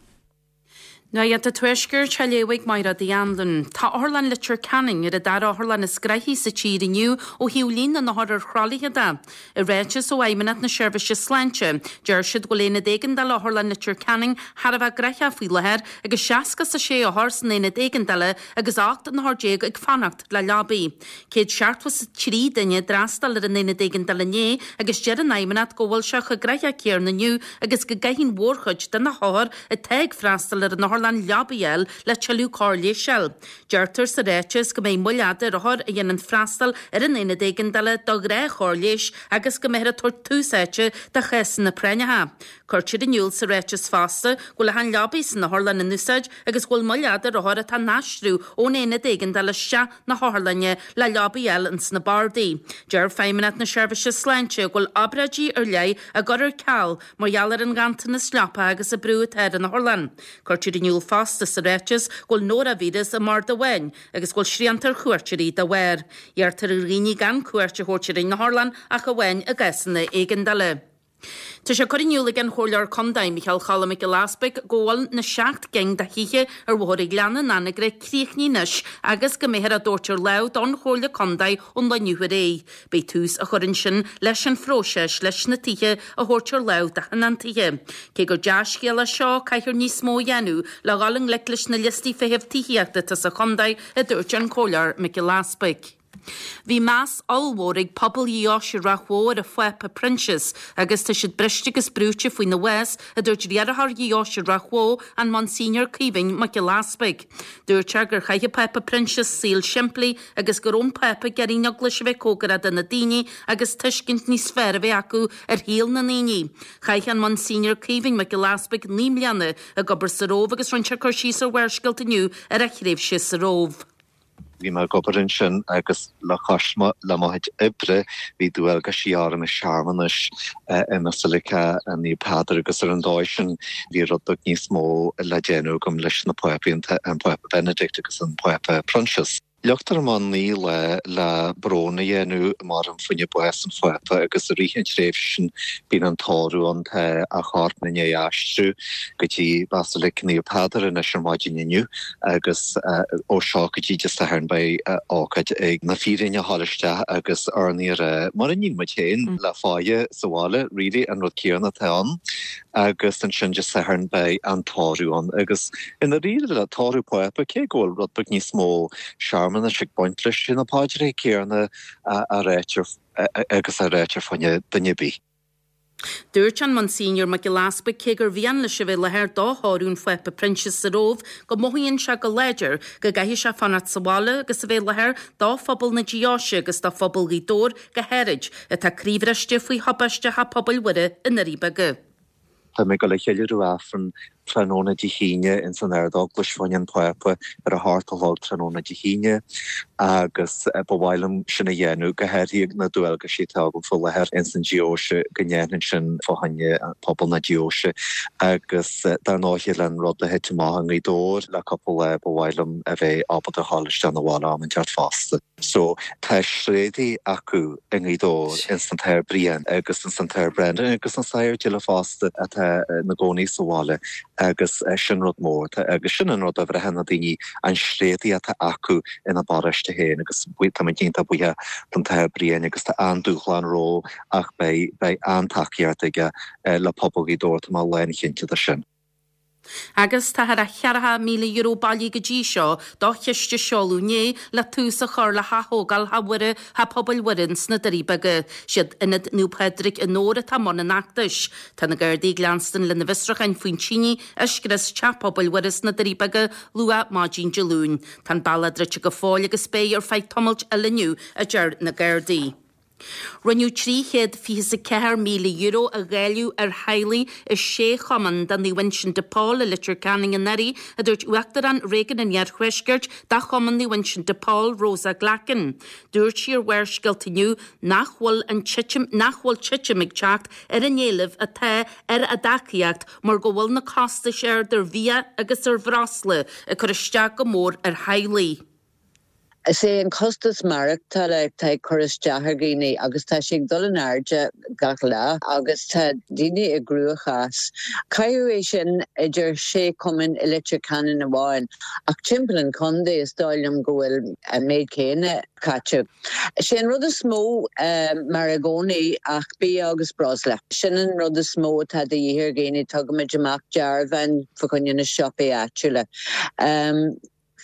Nuacht an Tuaiscirt á léamh ag Máire Uí Anluain. Tá Otharlann Leitir Ceanainn ar an dara otharlann is gnoithí sa tír inniu ó thaobh líon na n-othar ar throlaithe de. I ráiteas ó Fheidhmeannacht na Seirbhíse Sláinte, deir siad go bhfuil aonad éigeandála Otharlann Leitir Ceanainn thar a bheith gnóthach faoi láthair agus seasca is a sé othar san aonad éigeandála agus ocht n-othar déag ag fanacht le leabaí. Céad seachtó is a trí duine a d'fhreastail ar an aonad éigeandála inné agus deir an Fheidhmeannacht go bhfuil sé chomh gnóthach céanna inniu agus go gcaithfidh an mhórchuid de na hothair atá ag freastal ar an otharlann leabaí a fháil le tuilleadh cóir leighis a fháil. Deirtear sa ráiteas go mbeidh moill fhada ar othair a dhéanann freastal ar an aonad éigeandála do ghnáthchóir leighis agus go mbeifear ag tabhairt tús áite do chásanna práinneacha. Cuirtear in iúl sa ráiteas fosta go bhfuil achan leabaí san otharlann in úsáid agus go bhfuil moill fhada ar othair atá á n-aistriú ón aonad éigeandála isteach na hotharlainne le leabaí a fháil ins na bardaí. Deir Feidhmeannacht na Seirbhíse Sláinte go bhfuil obráidí ar leith á gcur ar ceal mar gheall ar an nganntanas leapa agus an brú atá ar an otharlann. Cuirtear in iúl fosta sa ráiteas go bhfuil nóravíreas i mbarda amháin agus go bhfuil srianta ar chuairteoirí dá bharr. Iarrtar ar dhaoine gan cuairt a thabhairt ar an otharlann ach amháin i gcásanna éigeandála. Tá sé curtha in iúl ag an Chomhairleoir Contae Micheál Cholm Mac Giolla Easpaig go bhfuil na seacht gcinn de thithe ar Bhóthar an Ghleanna in Anagaire críochnaithe anois agus go mbeifear á dtabhairt ar láimh don Chomhairle Contae ón lá inniu ar aghaidh. Beidh tús á chur ansin leis an phróiseas leis na tithe a thabhairt ar láimh do thionóntaithe. Cé gur dea-scéal é seo caithfear níos mó a dhéanamh le dhul i ngleic leis na liostaí feithimh tithíochta atá sa chontae a dúirt an Comhairleoir Mac Giolla Easpaig. Bhí meas ollmhór ag pobal Dheoise Ráth Bhoth ar an Phápa Proinsias agus tá siad briste agus brúite faoina bhás, a dúirt riarthóir Dheoise Ráth Bhoth, an Monsignor Caoimhín Mac Giolla Easpaig. Dúirt sé gur chaith an Pápa Proinsias saol simplí agus go raibh an Pápa ag iarraidh an Eaglais a bheith cóngarach do na daoine agus tuiscint níos fearr a bheith acu ar shaol na ndaoine. Chaith an Monsignor Caoimhín Mac Giolla Easpaig naoi mbliana ag obair sa Róimh agus rinne sé cur síos ar Bharrscéalta inniu ar a thréimhse sa Róimh. Bhí mé ag obair ansin agus le cois le mo chuid oibre bhí dualgaisí orm i searmanais i mBasilica Naomh Peadar agus ar an dóigh sin bhí rud beag níos mó le déanamh agam leis na Pápaí an Pápa Benedict agus an Pápa Proinsias. Leagtar amach naoi lá le brón a dhéanamh mar fá choinne bás an Phápa agus i rith an tréimhse sin bíonn an tórramh ann tá a chorp i ndiaidh aistriú go dtí Basilic Naomh Peadar anois ar maidin inniu agus ó seo go dtí Dé Sathairn beidh ócáid ag na fíréin a ghabháil isteach agus urnaí a rá mar a níonn muid féin le fáidhe sa bhaile really an rud céanna atá ann agus ansin Dé Sathairn beidh an tórramh ann agus i ndáiríre le tórramh Pápa cé go bhfuil rud beag níos mó searmanais ag baint leis na paidreacha céanna a ráitear agus a ráitear fá choinne duine ar bith. Dúirt an Monsignor Mac Giolla Easpaig cé gur mhian leis a bheith i láthair do thórramh an Phápa Proinsias sa Róimh go mothaíonn sé go láidir go gcaithfidh sé fanacht sa bhaile agus a bheith i láthair do phobal na deoise agus do phobal Ghaoth Dobhair go háirid atá croíbhriste faoi thubaiste Theach Pobail Mhuire i nDoirí Beaga. Tá mé ag dul a cheiliúradh Aifreann tráthnóna Dé hAoine ins an Ard-Eaglais fá choinne an Phápa ar a hocht a chlog tráthnóna Dé hAoine agus ba mhaith liom sin a dhéanamh, go háirithe na dualgaisí atá agam faoi láthair ins an deoise go ndéanfainn sin fá choinne pobal na deoise agus dar ndóighe leis an rud a thit amach i nGaoth Dobhair le cúpla lá ba mhaith liom a bheith ábalta a ghabháil isteach 'na bhaile am inteacht fosta. So tá tréadaí acu i nGaoth Dobhair ins an tAthair Brian agus ins an tAthair Brendan agus an Sagart Gilla fosta atá ina gcónaí sa bhaile agus sin rud mór agus sin an rud a bhraitheann na daoine an tréadaí atá acu ina bparóiste féin agus tá muid iontach buíoch don tAthair Brian agus tá an-dúshlán rompu ach beidh beidh an-tacaíocht aige le pobal Ghaoth Dobhair tá mé lánchinnte de sin. Agus tá thar a cheathracha míle euro bailithe go dtí seo do chiste seoladh inné le tús a chur le hathógáil Theach Mhuire Theach Pobail Mhuire sna Doirí Beaga. Siad Ionad Naomh Pádraig i nDobhar atá i mbun an fheachtais. Tá na Gardaí ag leanstan lena bhfiosrúcháin faoin tine a scrios Teach Pobail Mhuire sna Doirí Beaga luath maidin Dé Luain. Tá an bealach druidte go fóill agus beidh ar feadh tamaill eile inniu, a deir na Gardaí. Rinneadh trí chéad fiche is a ceathair míle euro a dháileadh ar theaghlaigh i sé chumann de Naomh Uinseann de Pól i Leitir Ceanainn anuraidh, a dúirt Uachtarán Réigiún an Iarthuaiscirt de Chumann Naomh Uinseann de Pól, Rosa Glackin. Dúirt sí ar Bharrscéalta inniu nach bhfuil an titim nach bhfuil titim ag teacht ar an éileamh atá ar a dtacaíocht mar go bhfuil na costais ard ar bhia agus ar bhreosla ag cur isteach go mór ar theaghlaigh. Is é an costas maireachtála atá ag cur isteach ar dhaoine agus tá sé ag dul in airde gach lá agus tá daoine i gcruachás. Caitheadh é sin idir sé chumann i Leitir Ceanainn amháin ach timpeall an chontae is dóigh liom go bhfuil an méid céanna caite. Sé an rud is mó mar i gcónaí ach bia agus breosla. Sin an rud is mó atá de dhíth ar dhaoine tugaimid amach dearbháin fá choinne na siopaí áitiúla.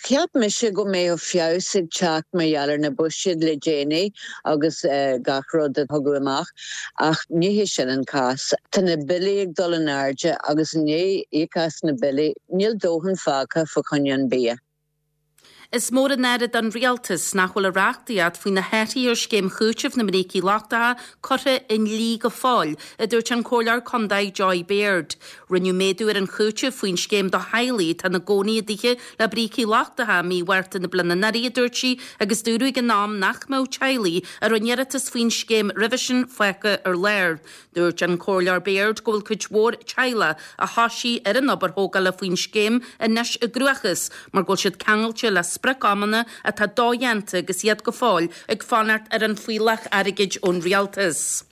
Cheap mise go mbeadh feabhas ag teacht mar gheall ar na buiséid le déanaí agus gach rud a tugadh amach ach ní hé sin an cás. Tá na billí ag dul in airde agus i ndiaidh íoc as na billí, níl dóthain fágtha fá choinne an bia. Is mór an náire don rialtas nach bhfuil a reachtaíocht faoi na hathruithe ar scéim chúitimh na mbrící lochtacha curtha i ndlí go fóill, a dúirt an Comhairleoir Contae Joy Baird. Rinneadh méadú ar an chúiteamh faoin scéim do theaghlaigh atá ina gcónaí i dtithe le brící lochtacha mí Mhárta na bliana anuraidh, a dúirt sí, agus dúradh ag an am nach mbeadh teaghlaigh a rinne iarratas faoin scéim roimhe sin fágtha ar lár. Dúirt an Comhairleoir Baird go bhfuil cuid mhór teaghlach a thosaigh ar an obair thógála faoin scéim anois i gcruachás mar go bhfuil siad ceangailte le sprioc-amanna atá dodhéanta agus iad go fóill ag fanacht ar an fuílleach airgid ón rialtas.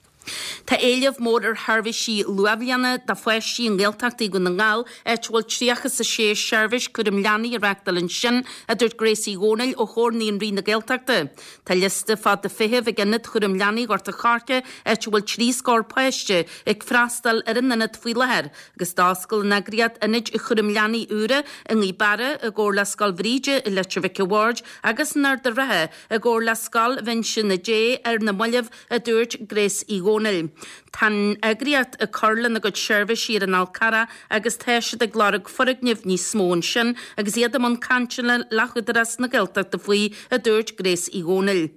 Tá éileamh mór ar sheirbhísí luathbhliana do pháistí i nGaeltachtaí Dhún na nGall, áit a bhfuil tríocha is a sé seirbhís cúram leanaí á reáchtáil ansin, a dúirt Grace Uí Dhónaill ó Chomhar Naíonraí na Gaeltachta. Tá liosta fada feithimh ag Ionad Chúram Leanaí Ghort an Choirce, áit a bhfuil trí scór páiste ag freastal ar an ionad faoi láthair, agus d'oscail an eagraíocht ionaid chúram leanaí úra i nGaoth Beara i gcomhar le Scoil Bhríde i Leitir Mhic a' Bhaird agus in Ard an Rátha i gcomhar le Scoil Uinseann Dé ar na mallaibh, a dúirt Grace Uí Dhónaill. Tá an eagraíocht ag cur lena gcuid seirbhísí ar an Fhál Carrach agus tá siad ag lorg foirgnimh níos mó ansin agus iad i mbun cainteanna le hÚdarás na Gaeltachta faoi, a dúirt Grace Uí Dhónaill.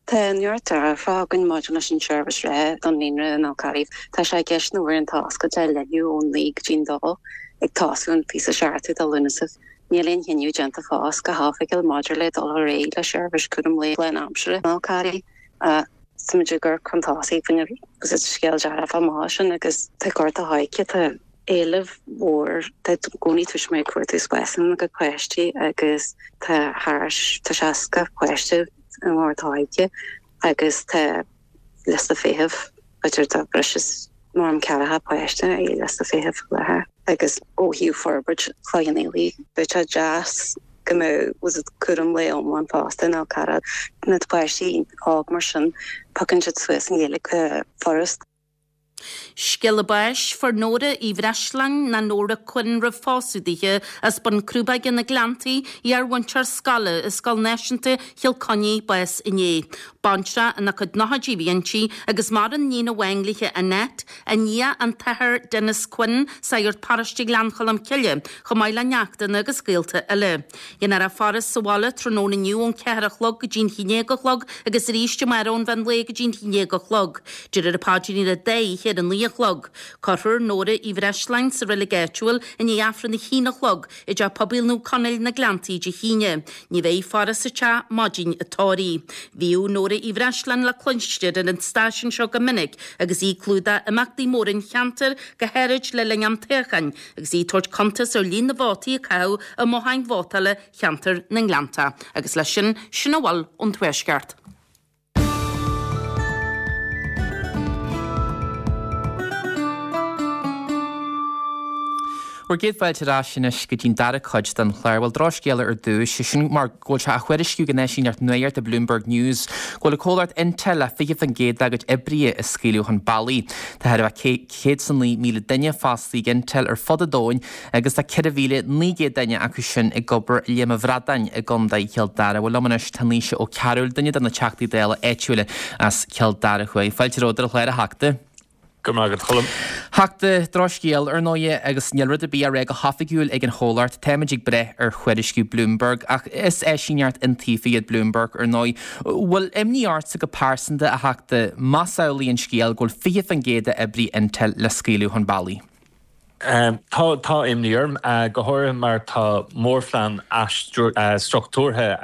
Tá neart dearfa againn maidir leis an tseirbhís reatha don naíonra in Fhál Carraigh. Tá sé i gceist na uaireanta oscailte a leathnú ón naoi go dtí'n dó, ag tosú an fiche seachtú de Lúnasa. Níl aon chinneadh déanta fós go hoifigiúil maidir le dul ar aghaidh le seirbhís cúram lae lánaimseartha in Fhál Carraigh. Táimid ag cur chun tosaigh faoin agus is scéal dearfach maith sin agus tá Gort a' Choirce tá éileamh mhór tá i gcónaí tuismitheoirí ag cuartú spásanna do pháistí agus tá thar tá seasca páiste i nGort a' Choirce agus tá liosta feithimh b'fhéidir tá breis is norm ceathracha páiste i liosta feithimh faoi láthair. Agus ó thaobh forbairt Chloich Cheann Fhaola, bheadh sé deas go mbeadh was it cúram lae iomlán fosta in Fhál Carrach. Na páistí óg mar sin, piocann siad suas an Ghaeilge furast. Scéala báis, Fuair Nóra Uí Bhreisleáin, nó Nóra Quinn roimh phósadh dithe, as Bun Crúbóige na Gleanntaí, iar-mhúinteoir scoile i Scoil Náisiúnta Chill Chainnigh, bás inné. Baintreach ina cuid nóchaidí a bhí inti agus maireann iníon amháin léithe Annette, a nia an tAthair Denis Quinn, sagart paróiste Ghleann Cholm Cille, chomh maith le neachtanna agus gaolta eile. Déanfar a faire sa bhaile tráthnóna inniu ón ceathair a chlog go dtí'n haon déag a chlog agus arís amárach ón mheán lae go dtí'n haon déag a chlog. Déarfar an paidrín ar an dá oíche oíche ar a naoi a chlog. Cuirfear Nóra Uí Bhreisleáin sa reilig áitiúil i ndiaidh Aifreann a haon a chlog i dTeach Pobail Naomh Conaill na Gleanntaí Dé hAoine. Ní bheidh faire sa teach maidin an tórraimh. Bhíodh Nóra Uí Bhreisleáin le cluinstin ar an stáisiún seo go minic agus í ag clúdach imeachtaí móra an cheantair go háirid le linn am toghcháin agus í ag tabhairt cuntas ar líon na vótaí a caitheadh i mbotháin vótála cheantar na nGleannta. Agus leis sin, sin a bhfuil ón Tuaisceart. Bhur gcéad fáilte ar ais anois go dtí'n dara cuid den chlár. Bhuel, drochscéala ar dtús, sé sin mar go bhfuil sé á thuairisciú ag an eisíneacht nuachta Bloomberg News go bhfuil an comhlacht Intel le fiche faoin gcéad dá gcuid oibrithe a scaoileadh chun bealaigh. Tá thar a bheith céad is a naoi míle duine fostaithe ag Intel ar fud an domhain agus tá ceithre mhíle naoi gcéad duine acu sin ag obair i Léim an Bhradáin i gContae Chill Dara. Bhuel, liom anois tá Naoise Ó Cearúil, duine de na Teachtaí Dála áitiúla as Cill Dara Thuaidh. Fáilte romhat ar an chlár, a Theachta. Go raibh maith agat, a Choilm. Theachta, drochscéal, ar ndóighe, agus níl rud ar bith á rá go hoifigiúil ag an chomhlacht. Táimid ag breith ar thuairisciú Bloomberg, ach is eisíneacht iontaofa iad Bloomberg, ar ndóigh. Bhfuil imní ortsa go pearsanta, a Theachta, más amhlaidh an scéal go bhfuil fiche faoin gcéad d'oibrithe Intel le scaoileadh chun bealaigh? Tá, tá imní orm, go háirithe mar tá mórphlean athstruchtúrtha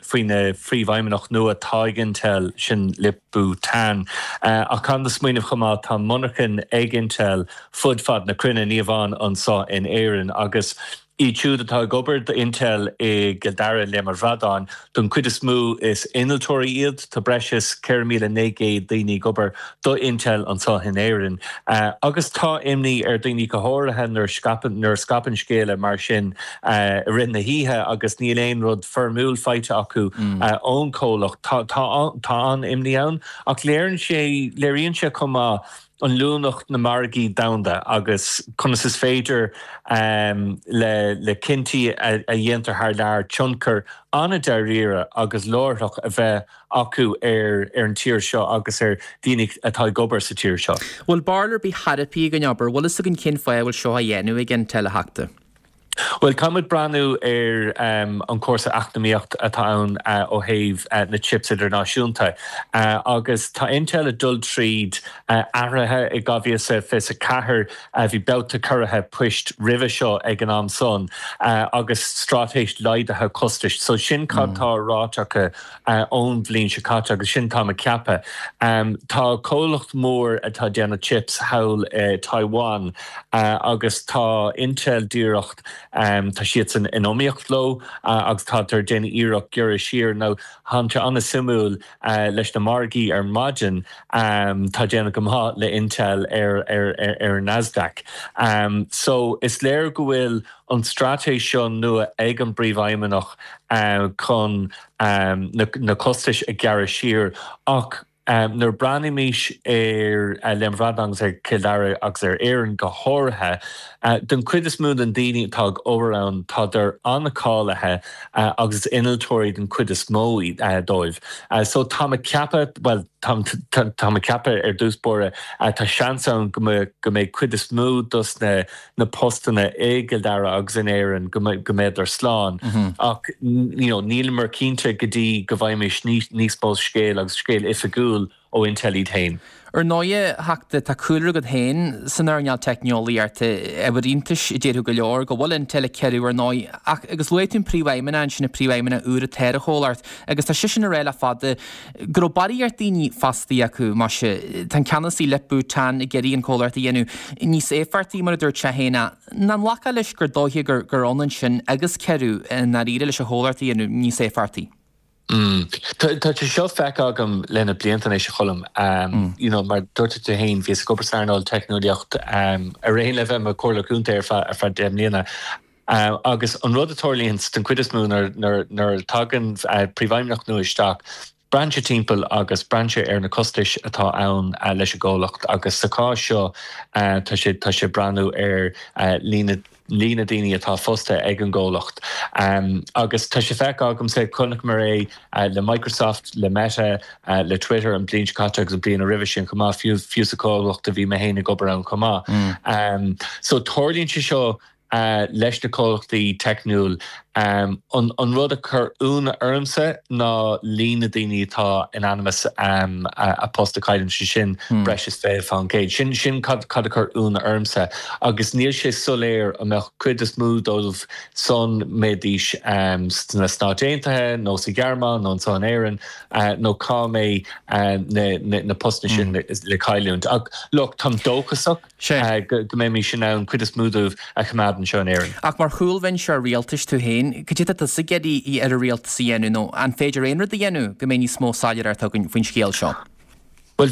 faoina phríomhfheidhmeannach nua atá ag Intel, sin Lip-Bu Tan. Ach caithfidh muid smaoineamh chomh maith, tá monarchain ag Intel fud fad na cruinne, ní amháin anseo in Éirinn, agus iad siúd atá ag obair d'Intel i gCill Dara, Léim an Bhradáin, don chuid is mó is innealtóirí iad. Tá breis is ceithre mhíle naoi gcéad daoine ag obair do Intel anseo in Éirinn. Agus tá imní ar daoine go háirithe nuair scaipeann nuair a scaipeann scéala mar sin i rith na hoíche agus níl aon rud foirmiúil faighte acu ón chomhlacht. Tá tá tá an-imní ann ach léiríonn sé léiríonn sé chomh maith an luaineacht na margaí domhanda agus conas is féidir le le cinntí a dhéantar thar lear tionchar an-dáiríre agus láithreach a bheith acu ar ar an tír seo agus ar daoine atá ag obair sa tír seo. Bhfuil barúil ar bith thairbhe ag an obair? Bhfuil fhios againn cén fáth a bhfuil seo á dhéanamh ag Intel, a Theachta? Bhuel, caithfidh muid breathnú ar an cúrsa eacnamaíocht atá ann ó thaobh na chips idirnáisiúnta. Agus tá Intel ag dul tríd athruithe i dhá mhíle is fiche a ceathair. Bhí babhta corraithe poist roimhe seo ag an am san agus straitéis laghdaithe costais. So sin cad tá ráite acu ón bhliain seo caite agus sin táim ag ceapadh. Tá comhlacht mór atá ag déanamh chips thall i Taiwan agus tá Intel díreach, tá siadsan in iomaíocht leo agus tádar ag déanamh iarracht gearradh siar. Now tá sé an-suimiúil leis na margaí ar maidin, tá déanamh go maith le Intel ar ar ar an Nasdaq. So is léir go bhfuil an straitéis seo nua ag an bPríomhfheidhmeannach chun na costais a ghearradh siar ach nuair a breathnaímis ar Léim an Bhradáin agus ar Chill Dara agus ar Éirinn go háirithe, den chuid is mó den daoine atá ag obair ann tádar an-cháilithe agus is innealtóirí den chuid is mó dóibh. So táim ag ceapadh, bhuel táim ag ceapadh ar dtús báire, tá seans ann go mbeidh cuid is mó dos na na postanna i gCill Dara agus in Éirinn go mbeidar slán ach you know níleamar cinnte go dtí go bhfaighimid níos mó scéal agus scéal oifigiúil ó Intel iad féin. Ar ndóighe, a Theachta, tá cúlra agat féin san earnáil teicneolaíochta, ábhar iontais a déarfadh go leor go bhfuil Intel ag ciorrú ar ndóigh ach agus luaigh tú an príomhfheidhmeannach ansin, an príomhfheidhmeannach úr atá ar an chomhlacht agus tá seisean ag rá le fada go raibh barraíocht daoine fostaithe acu, maise, tá an ceannasaí Lip-Bu Tan ag iarraidh an comhlacht a dhéanamh níos éifeachtaí mar a dúirt sé féin ach an nglacfá leis gur dóiche gur gur ionann sin agus ciorrú i ndáiríre leis an chomhlacht a dhéanamh níos éifeachtaí. Tá sé seo feicthe agam le na blianta anois, a Choilm. You know, mar dúirt tú féin, bhíos ag obair san earnáil teicneolaíocht ar aon le bheith i mo chomhairleoir contae ar feadh ar feadh deich mbliana. Agus an rud a tarlaíonn den chuid is mó nuair a tagann príomhfheidhmeannach nua isteach, braitheann sé timpeall agus braitheann sé ar na costais atá ann leis an gcomhlacht agus sa chás seo tá sé tá sé ag breathnú ar líon líon na daoine atá fostaithe ag an gcomhlacht. Agus tá sé feicthe agamsa, chonaiceamar é le Microsoft, le Meta, le Twitter an bhliain seo caite agus an bhliain roimhe sin chomh maith, fiú fiú sa chomhlacht a bhí mé féin ag obair ann chomh maith. So tarlaíonn sé seo leis na comhlachtaí teicniúil. An rud a chuir ionadh ormsa ná líon na daoine atá in ainm is a post a chailliúint, sé sin breis is fiche faoin gcéad. Sin sin cad a chuir ionadh ormsa agus níl sé soiléir an mbeadh cuid is mó dóibh san mbeidís sna Stáit Aontaithe nó sa Ghearmáin nó anseo in Éirinn nó cá mbeidh na postanna sin le cailliúint. Ach look, táim dóchasach. go mbeimis in ann cuid is mó dóibh a choimeád anseo in Éirinn. Ach mar chúlbhinseoir rialtais tú féin, cad é atá tusa ag iarraidh ar an rialtas a dhéanamh nó an féidir aon rud a dhéanamh go mbeidh níos mó soiléireacht againn faoin scéal seo? Bhuel,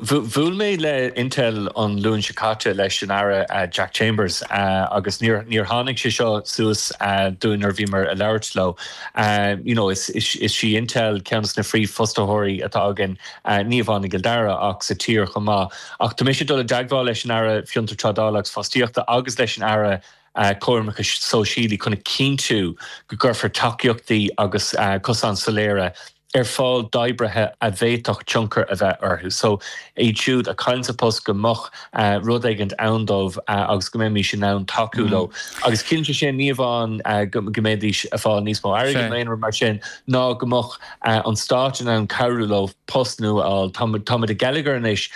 bhuail mé le Intel an Luan seo caite leis an Aire Jack Chambers agus níor tháinig sé seo suas dúinn nuair a bhíomar ag labhairt leo. You know, is í Intel ceann de na phríomhfhostaitheoirí atá againn, ní amháin i gCill Dara ach sa tír chomh maith. Ach tá mise ag dul i dteagmháil leis an Aire Fiontar Trádála agus Fostaíochta agus leis an Aire Coimirce Sóisialaí chun a chinntiú go gcuirfear tacaíochtaí agus cosáin soiléire ar fáil d'oibrithe a bhféadfadh tionchar a bheith orthu. So, iad siúd a chailleanns a post go mbeadh rud éigint ann dóibh agus go mbeimis in ann tacú leo. Agus ciallaíonn sé sin ní amháin go mbeidís ag fáil níos mó airgid nó aon rud mar sin, ná go mbeadh an stát in ann cabhrú leo post nua a fháil. Táimid i ngeilleagar anois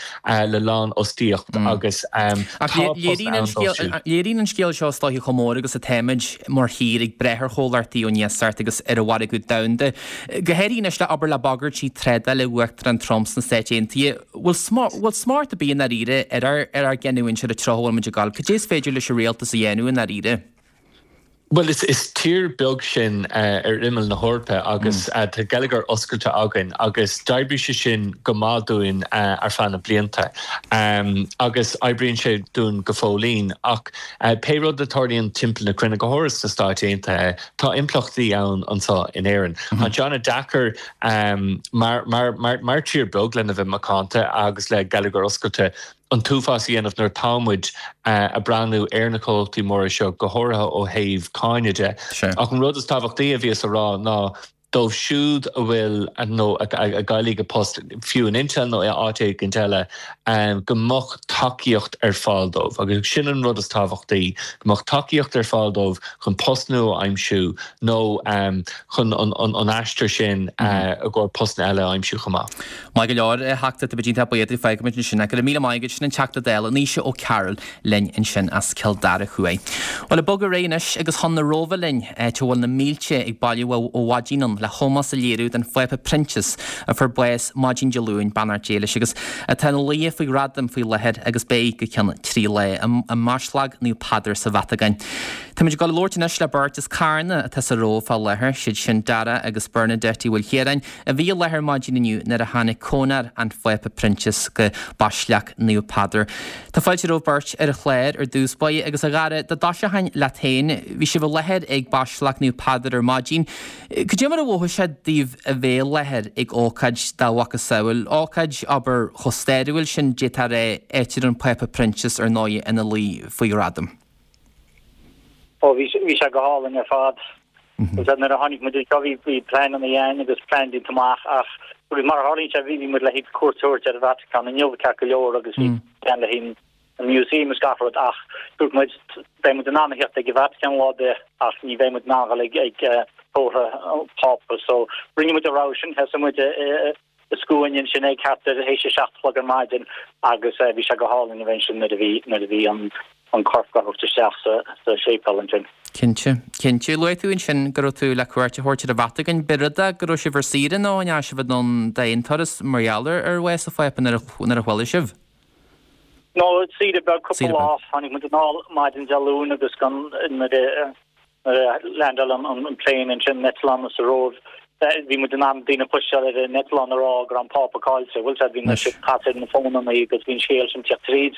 le lánfhostaíocht agus tá post ann dóibh siúd. Léiríonn an scéal seo is dóiche chomh mór agus atáimid mar thír ag brath ar chomhlachtaí ón iasacht agus ar an mhargadh domhanda, go háirithe anois le abair le bagairtí trádála Uachtarán Trump sna Stáit Aontaithe. Bhfuil smacht ar bith i ndáiríre ar ár gcinniúint ar an treo a bhfuil muid ag dul? Cad é is féidir leis an rialtas a dhéanamh i ndáiríre? Bhuel, is tír beag sinn ar imeall na hEorpa agus tá geilleagar oscailte againn agus d'oibrigh sé sin go maith dúinn ar feadh na blianta agus oibríonn sé dúinn go fóillín. Ach pé rud a tarlaíonn timpeall na cruinne, go háirithe sna Stáit Aontaithe, tá impleachtaí ann anseo in Éirinn. Tá sé an-deacair mar tír beag lena bheith macánta agus le geilleagar oscailte, an t-uafás a dhéanamh nuair atá muid ag breathnú ar na comhlachtaí móra seo, go háirithe ó thaobh cáine de. Ach an rud is tábhachtaí a bhíos a rá ná dóibh siúd a bhfuil nó a gcaillfidh a post, fiú in Intel nó áit éigint eile, go mbeadh tacaíocht ar fáil dóibh. Agus sin an rud is tábhachtaí, go mbeadh tacaíocht ar fáil dóibh chun post nua a aimsiú nó chun an aistear sin i gcomhair postanna eile a aimsiú chomh maith. Maith go leor, a Theachta, tá muid iontach buíoch díot, fágfaimid ansin é. Go raibh míle maith agat, sin an Teachta Dála, Naoise Ó Cearúil linn ansin as Cill Dara Thuaidh. Bhuel, ag bogadh ar aghaidh anois agus chun na Róimhe linn, áit a bhfuil na mílte ag bailiú ó mhaidin ann le hómós a léiriú don Phápa Proinsias a fuair bás maidin Dé Luain, beannacht Dé leis, agus atá ina luí faoi ghradam faoi láthair agus beidh go ceann trí lá i mBaisleac Naomh Peadar sa Vatacáin. Táimid ag dul a labhairt anois le beirt as Carna atá sa Róimh fá láthair, siad sin Dara agus Bernadette Uí Mhaoilchiaráin, a bhí i láthair maidin inniu nuair a tháinig cónra an Phápa Proinsias go Baisleac Naomh Peadar. Tá fáilte romhaibh beirt ar an chlár ar dtús báire agus a Dhara, dá dtoiseochainn leat féin, bhí sibh i láthair ag Baisleac Naomh Peadar ar maidin. Cad é mar a mhothaigh sé daoibh a bheith i láthair ag ócáid dá mhacasamhail, ócáid, abair, chomh stairiúil sin, d'fhéadfá a rá, áit a raibh an Pápa Proinsias ar ndóigh ina luí faoi ghradam? Ó, bhí sé go hálainn ar fad. Nuair a tháinig muid anseo bhí bhí pleananna againn agus plean déanta amach ach agus mar a tharlaíonn sé bhí bhí muid le haghaidh cuairt a thabhairt ar an Vatican inniu ceart go leor agus bhí plean le haghaidh an museum is gach rud ach dúirt muid beidh muid in ann a theacht ag an Vatican lá ar bith ach ní bheidh muid in ann dhul ag ag tórramh an Phápa so rinne muid an rogha sin sheasaigh muid i i scuaine ansin ag thart ar théis a seacht a chlog ar maidin agus bhí sé go hálainn a bheith ansin nuair a bhí nuair a bhí an an corp á thabhairt isteach sa sa séipéal ansin. Cinnte, cinnte. Luaigh tú ansin go raibh tú le cuairt a thabhairt ar an Vatacáin. B'é rud é go raibh sibh ar saoire nó an ndeachaigh sibh anonn d'aon turas mar gheall ar ar bhás an Phápa nuair a nuair a chuala sibh? No, saoire beag, cúpla Saoire lá. beag. Tháinig muid anall maidin Dé Luain agus gan nuair a nuair a landáil an an plane ansin, an eitleán sa Róimh, bhí muid in am daoine a chloisteáil ar an eitleán ag rá go raibh an Pápa caillte. Bhfuil sé, bhí na siad caite ar na fónanna agus bhí an scéal sin teacht tríd.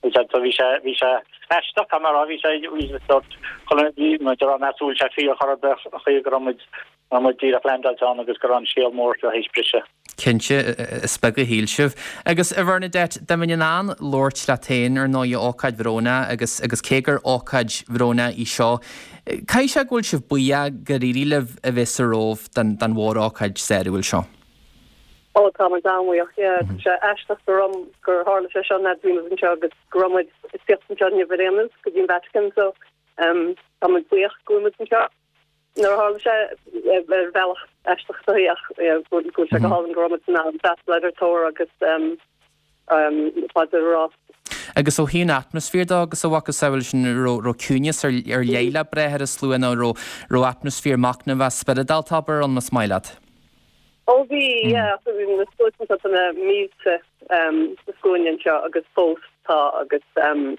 Bhí sé, bhí sé, bhí sé aisteach, caithfidh mé a rá, bhí sé, bhí sé sort, chuile, bhí muid a rá meas bhfuil sé fíor chor ar bith, an chaoi go raibh muid, go raibh muid díreach landáilte ann agus go raibh an scéal mór seo théis briseadh. Cinnte, is beag a shíl sibh. Agus a Bhernadette, dá mbeinn in ann labhairt leat féin, ar ndóigh, ócáid bhrónach agus, agus cé gur ócáid bhrónach í seo, caithfidh sé go bhfuil sibh buíoch gur éirigh libh a bheith sa Róimh don, don mhórócáid stairiúil seo. Ó, tá muid an-bhuíoch, yeah. Tá sé aisteach gur um, gur tharla sé seo nuair a bhí muid anseo agus go raibh muid ag tíocht anseo inniu ar aon nós go dtí an Vatican so Tá muid buíoch go bhfuil muid anseo. Nuair a tharla sé ar bhealach aisteach is dóichí ach go bhfuil sé go hálainn go raibh muid in ann freastal ar an tórramh agus paidir a rá. Agus ó thaobh an atmaisféir de agus a mhacasamhail sin, raibh ciúineas ar leith le brath ar an slua nó raibh raibh atmaisféar machnamhach spioradálta abair ann más maith leat? Ó bhí, yeah, bhí na sluaite tá na mílte sa scuaine anseo agus fós tá agus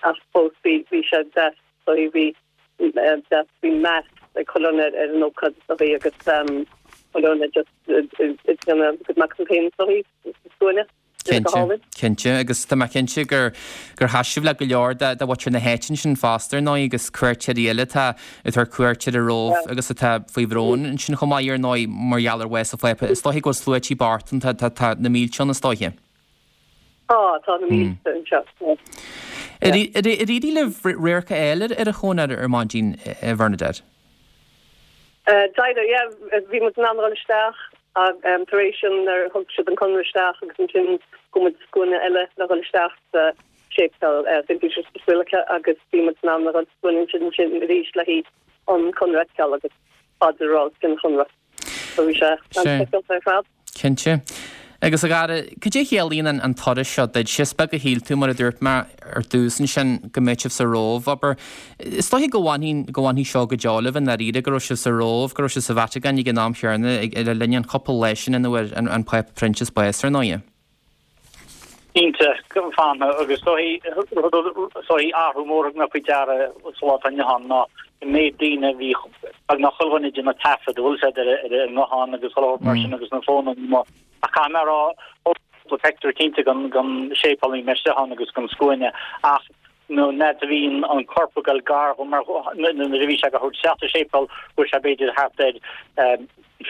ach fós bhí bhí sé deas so bhí deas bhí meas ag chuile dhuine ar an ócáid is dóichí agus chuile dhuine just ag déanamh a gcuid machnamh féin is dóichí sa scuaine. Cinnte, cinnte, agus tá mé cinnte gur gur sheas sibh le go leor de de mhuintir na háite ansin fosta ar ndóigh agus cuairteoirí eile atá ag tabhairt cuairt ar an Róimh agus atá faoi bhrón ansin chomh maith ar ndóigh mar gheall ar bhás an Phápa. Is dóiche go bhfuil sluaití bocht ann, tá tá tá na mílte ann is dóiche. Tá, tá na mílte anseo. Ar éirigh libh radharc a fháil ar an chónra ar maidin, a Bhernadette? D'éirigh, yeah, bhí muid in ann dul isteach tar éis sin nuair a thug siad an conra isteach agus ansin chuaigh muid scuaine eile le dhul isteach sa séipéal Saint Peter's Basilica agus bhí muid in ann a dhul scuaine ansin ansin arís le haghaidh an conra a fheiceáil agus paidir a rá os cionn an chonra. So bhí sé an-speisialta ar fad. Cinnte. Agus a Dhara, cad é a chiallaíonn an turas seo duit? Is beag a shíl tú, mar a dúirt mé ar dtús ansin, go mbeadh sibh sa Róimh, abair. Is dóiche go bhfanfaidh, go bhfanfaidh seo go deo libh i ndáiríre, go raibh sibh sa Róimh, go raibh sibh sa Vatacáin ag an am chéanna le linn an chúpla lá sin ina bhfuair an Pápa Proinsias bás, ar ndóighe. Cinnte, go bhfanfaidh, agus is dóichí, is dóichí athrú mór a thug mé faoi deara sa lá atá inniu ann ná an méid daoine a bhí beagnach chuile dhuine ag déanamh taifead, bhfuil a fhios agat, ar a nguthán agus chuile shórt mar sin agus na fónanna. Ach caithfidh mé a rá, thóg mé cúpla pictiúr cinnte den séipéal a bhí mé istigh ann agus den scuaine ach an fhad a bhí an corp ag dul gar dhom mar nuair a bhí sé á thabhairt isteach sa séipéal bhí sé b'fhéidir thart ar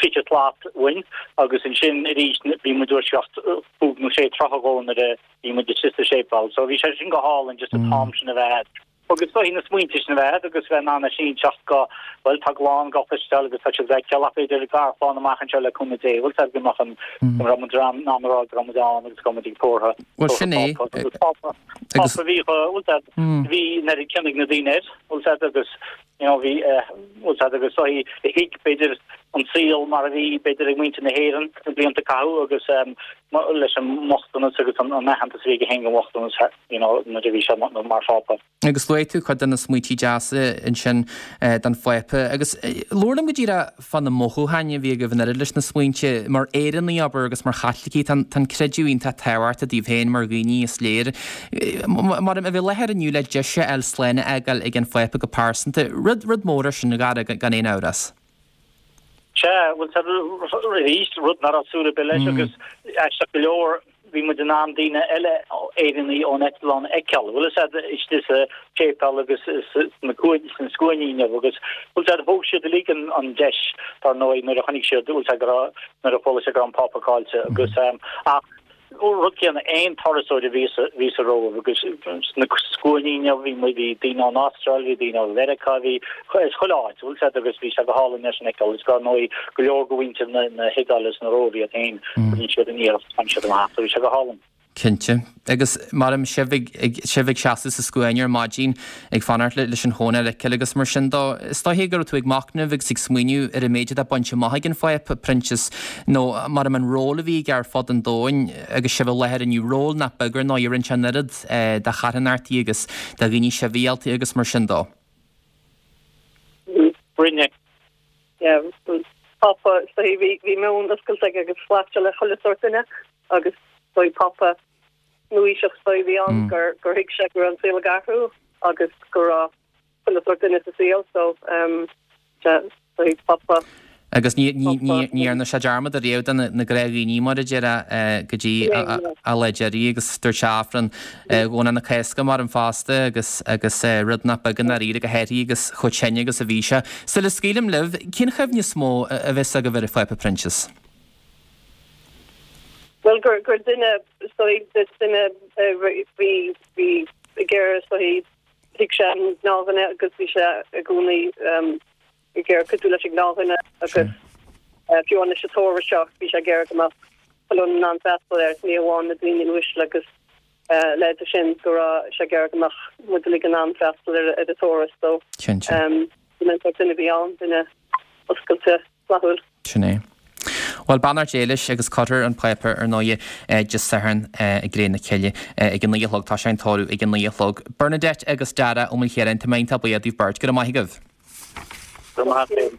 fiche slat uainn agus ansin arís bhí muid ag dúiseacht cúig nó sé troithe dhó nuair a bhí muid istigh sa séipéal. So bhí sé sin go hálainn just an t-am sin a bheith agat. Agus is dóichí na smaointe sin a bheith agat agus bheith in ann a inseacht go, bhuel, tá glan go cloisteáil agus tá siad feiceáil ach b'fhéidir garchlann amach anseo le cúnamh Dé, bhfuil a fhios agat go mbeadh an, go raibh muid in ann a rá go raibh muid ann agus go raibh muid ag tórramh, Bhuel, sin é. Pápa. Agus Pápa, Pápa a bhí, bhfuil a fhios agat, bhí an oiread cion ag na daoine air, bhfuil a fhios agat, agus you know, bhí, bhfuil a fhios agat, agus is dóichí a thuig, b'fhéidir, an saol mar a bhí, b'fhéidir, ag muintir na hÉireann sna blianta a caitheadh agus leis an mbochtanas agus an aitheantas a bhí aige féin don bhochtanas, you know, nuair a bhí sé mar Phápa. Agus luaigh tú cuid de na smaointí deasa ansin don Phápa. Agus labhair liom go díreach fá na mothúcháin a bhí agaibh an oiread leis na smaointe. Mar Éireannaigh, abair, agus mar Chaitlicigh, tá an creideamh iontach tábhachtach daoibh féin mar dhaoine, is léir. Mar a bheith i láthair inniu le deis a fháil slán a fhágáil ag an Phápa go pearsanta, rud, rud mór é sin, a Dhara, gan aon amhras. Sea, bhuel, arís, rud nach raibh súil ar bith leis agus aisteach go leor, bhí muid in ann daoine eile, Éireannaigh ón eitleán a fheiceáil, bhfuil a fhios agat, istigh sa tséipéal agus sna sna scuainí inniu agus, bhfuil a fhios agat, thóg siad uilig an an deis, dar ndóigh, nuair a chonaic siad, bhfuil a fhios agat, go raibh, nuair a chuala siad go raibh an Pápa caillte agus, ach, rud céanna, aon turasóir a bhí sa, bhí sa Róimh agus sna scuainí inniu, bhí muid, bhí daoine ón Astráil, bhí daoine ó Mheiriceá, bhí as chuile áit, bhfuil a fhios agat, agus bhí sé go hálainn é sin a fheiceáil agus dar ndóigh go leor de mhuintir na, na hIodáile is na Róimhe iad féin, rinne siad an iarracht, tháinig siad amach, so bhí sé go hálainn. Cinnte. Agus maram sibh ag, ag, sibh ag seasamh sa scuaine ar maidin ag fanacht le, leis an chónra a fheiceáil agus mar sin dó, is dóiche go raibh tú ag machnamh agus ag smaoineamh ar an méid atá bainte amach ag an Phápa Proinsias nó maram an ról a bhí aige ar fud an domhain agus sibh i láthair inniu, ról nach beag ar ndóigh, a rinne sé an oiread do charthanachtaí agus do dhaoine sibhialta agus mar sin dó. Rinne. Yeah, Pápa, is dóiche, bhí, bhí meon oscailte aige agus ghlac sé le chuile sórt duine agus is dóiche Pápa nuaaoiseach is dóiche a bhí ann gur, gur thuig sé go raibh an saol ag athrú agus go raibh chuile sórt duine sa saol so um, sea, is dóiche Pápa Agus ní, ní, ní, ní dhearna sé dearmad ariamh de na, na gnáthdhaoine mar a déarfá go dtí a lá deiridh agus dúirt sé Aifreann Dhomhnach na Cásca maram fosta agus, agus rud nach beag i ndáiríre go háirithe agus chomh tinn agus a bhí sé. Sula scaoilim libh, cén chuimhne is mó a bheas agaibh ar an Phápa Proinsias? Bhuel gur, gur duine, is dóigh, duine bhí, bhí ag iarraidh, is dóigh, thuig sé an gnáthdhuine agus bhí sé i gcónaí ag iarraidh cuidiú leis an ngnáthdhuine agus fiú amháin leis an tórramh seo bhí sé ag iarraidh go mbeadh chuile dhuine in ann freastal air, ní amháin na daoine uaisle agus leithéid sin go raibh sé ag iarraidh go mbeadh muid uilig in ann freastal ar ar an turas so Cinnte. Go mbeadh duine a bhí ann, duine oscailte flaithiúil. Sin é. Bhuel, beannacht Dé leis agus Cutter an Pápa ar ndóigh Dé Sathairn i gCré na Cille ag a naoi a chlog. Tá sé an tórramh ag a naoi a chlog. Bernadette agus Dara Ó Maoilchiaráin, tá mé iontach buíoch daoibh beirt. Go raibh maith agaibh. Go raibh maith agat.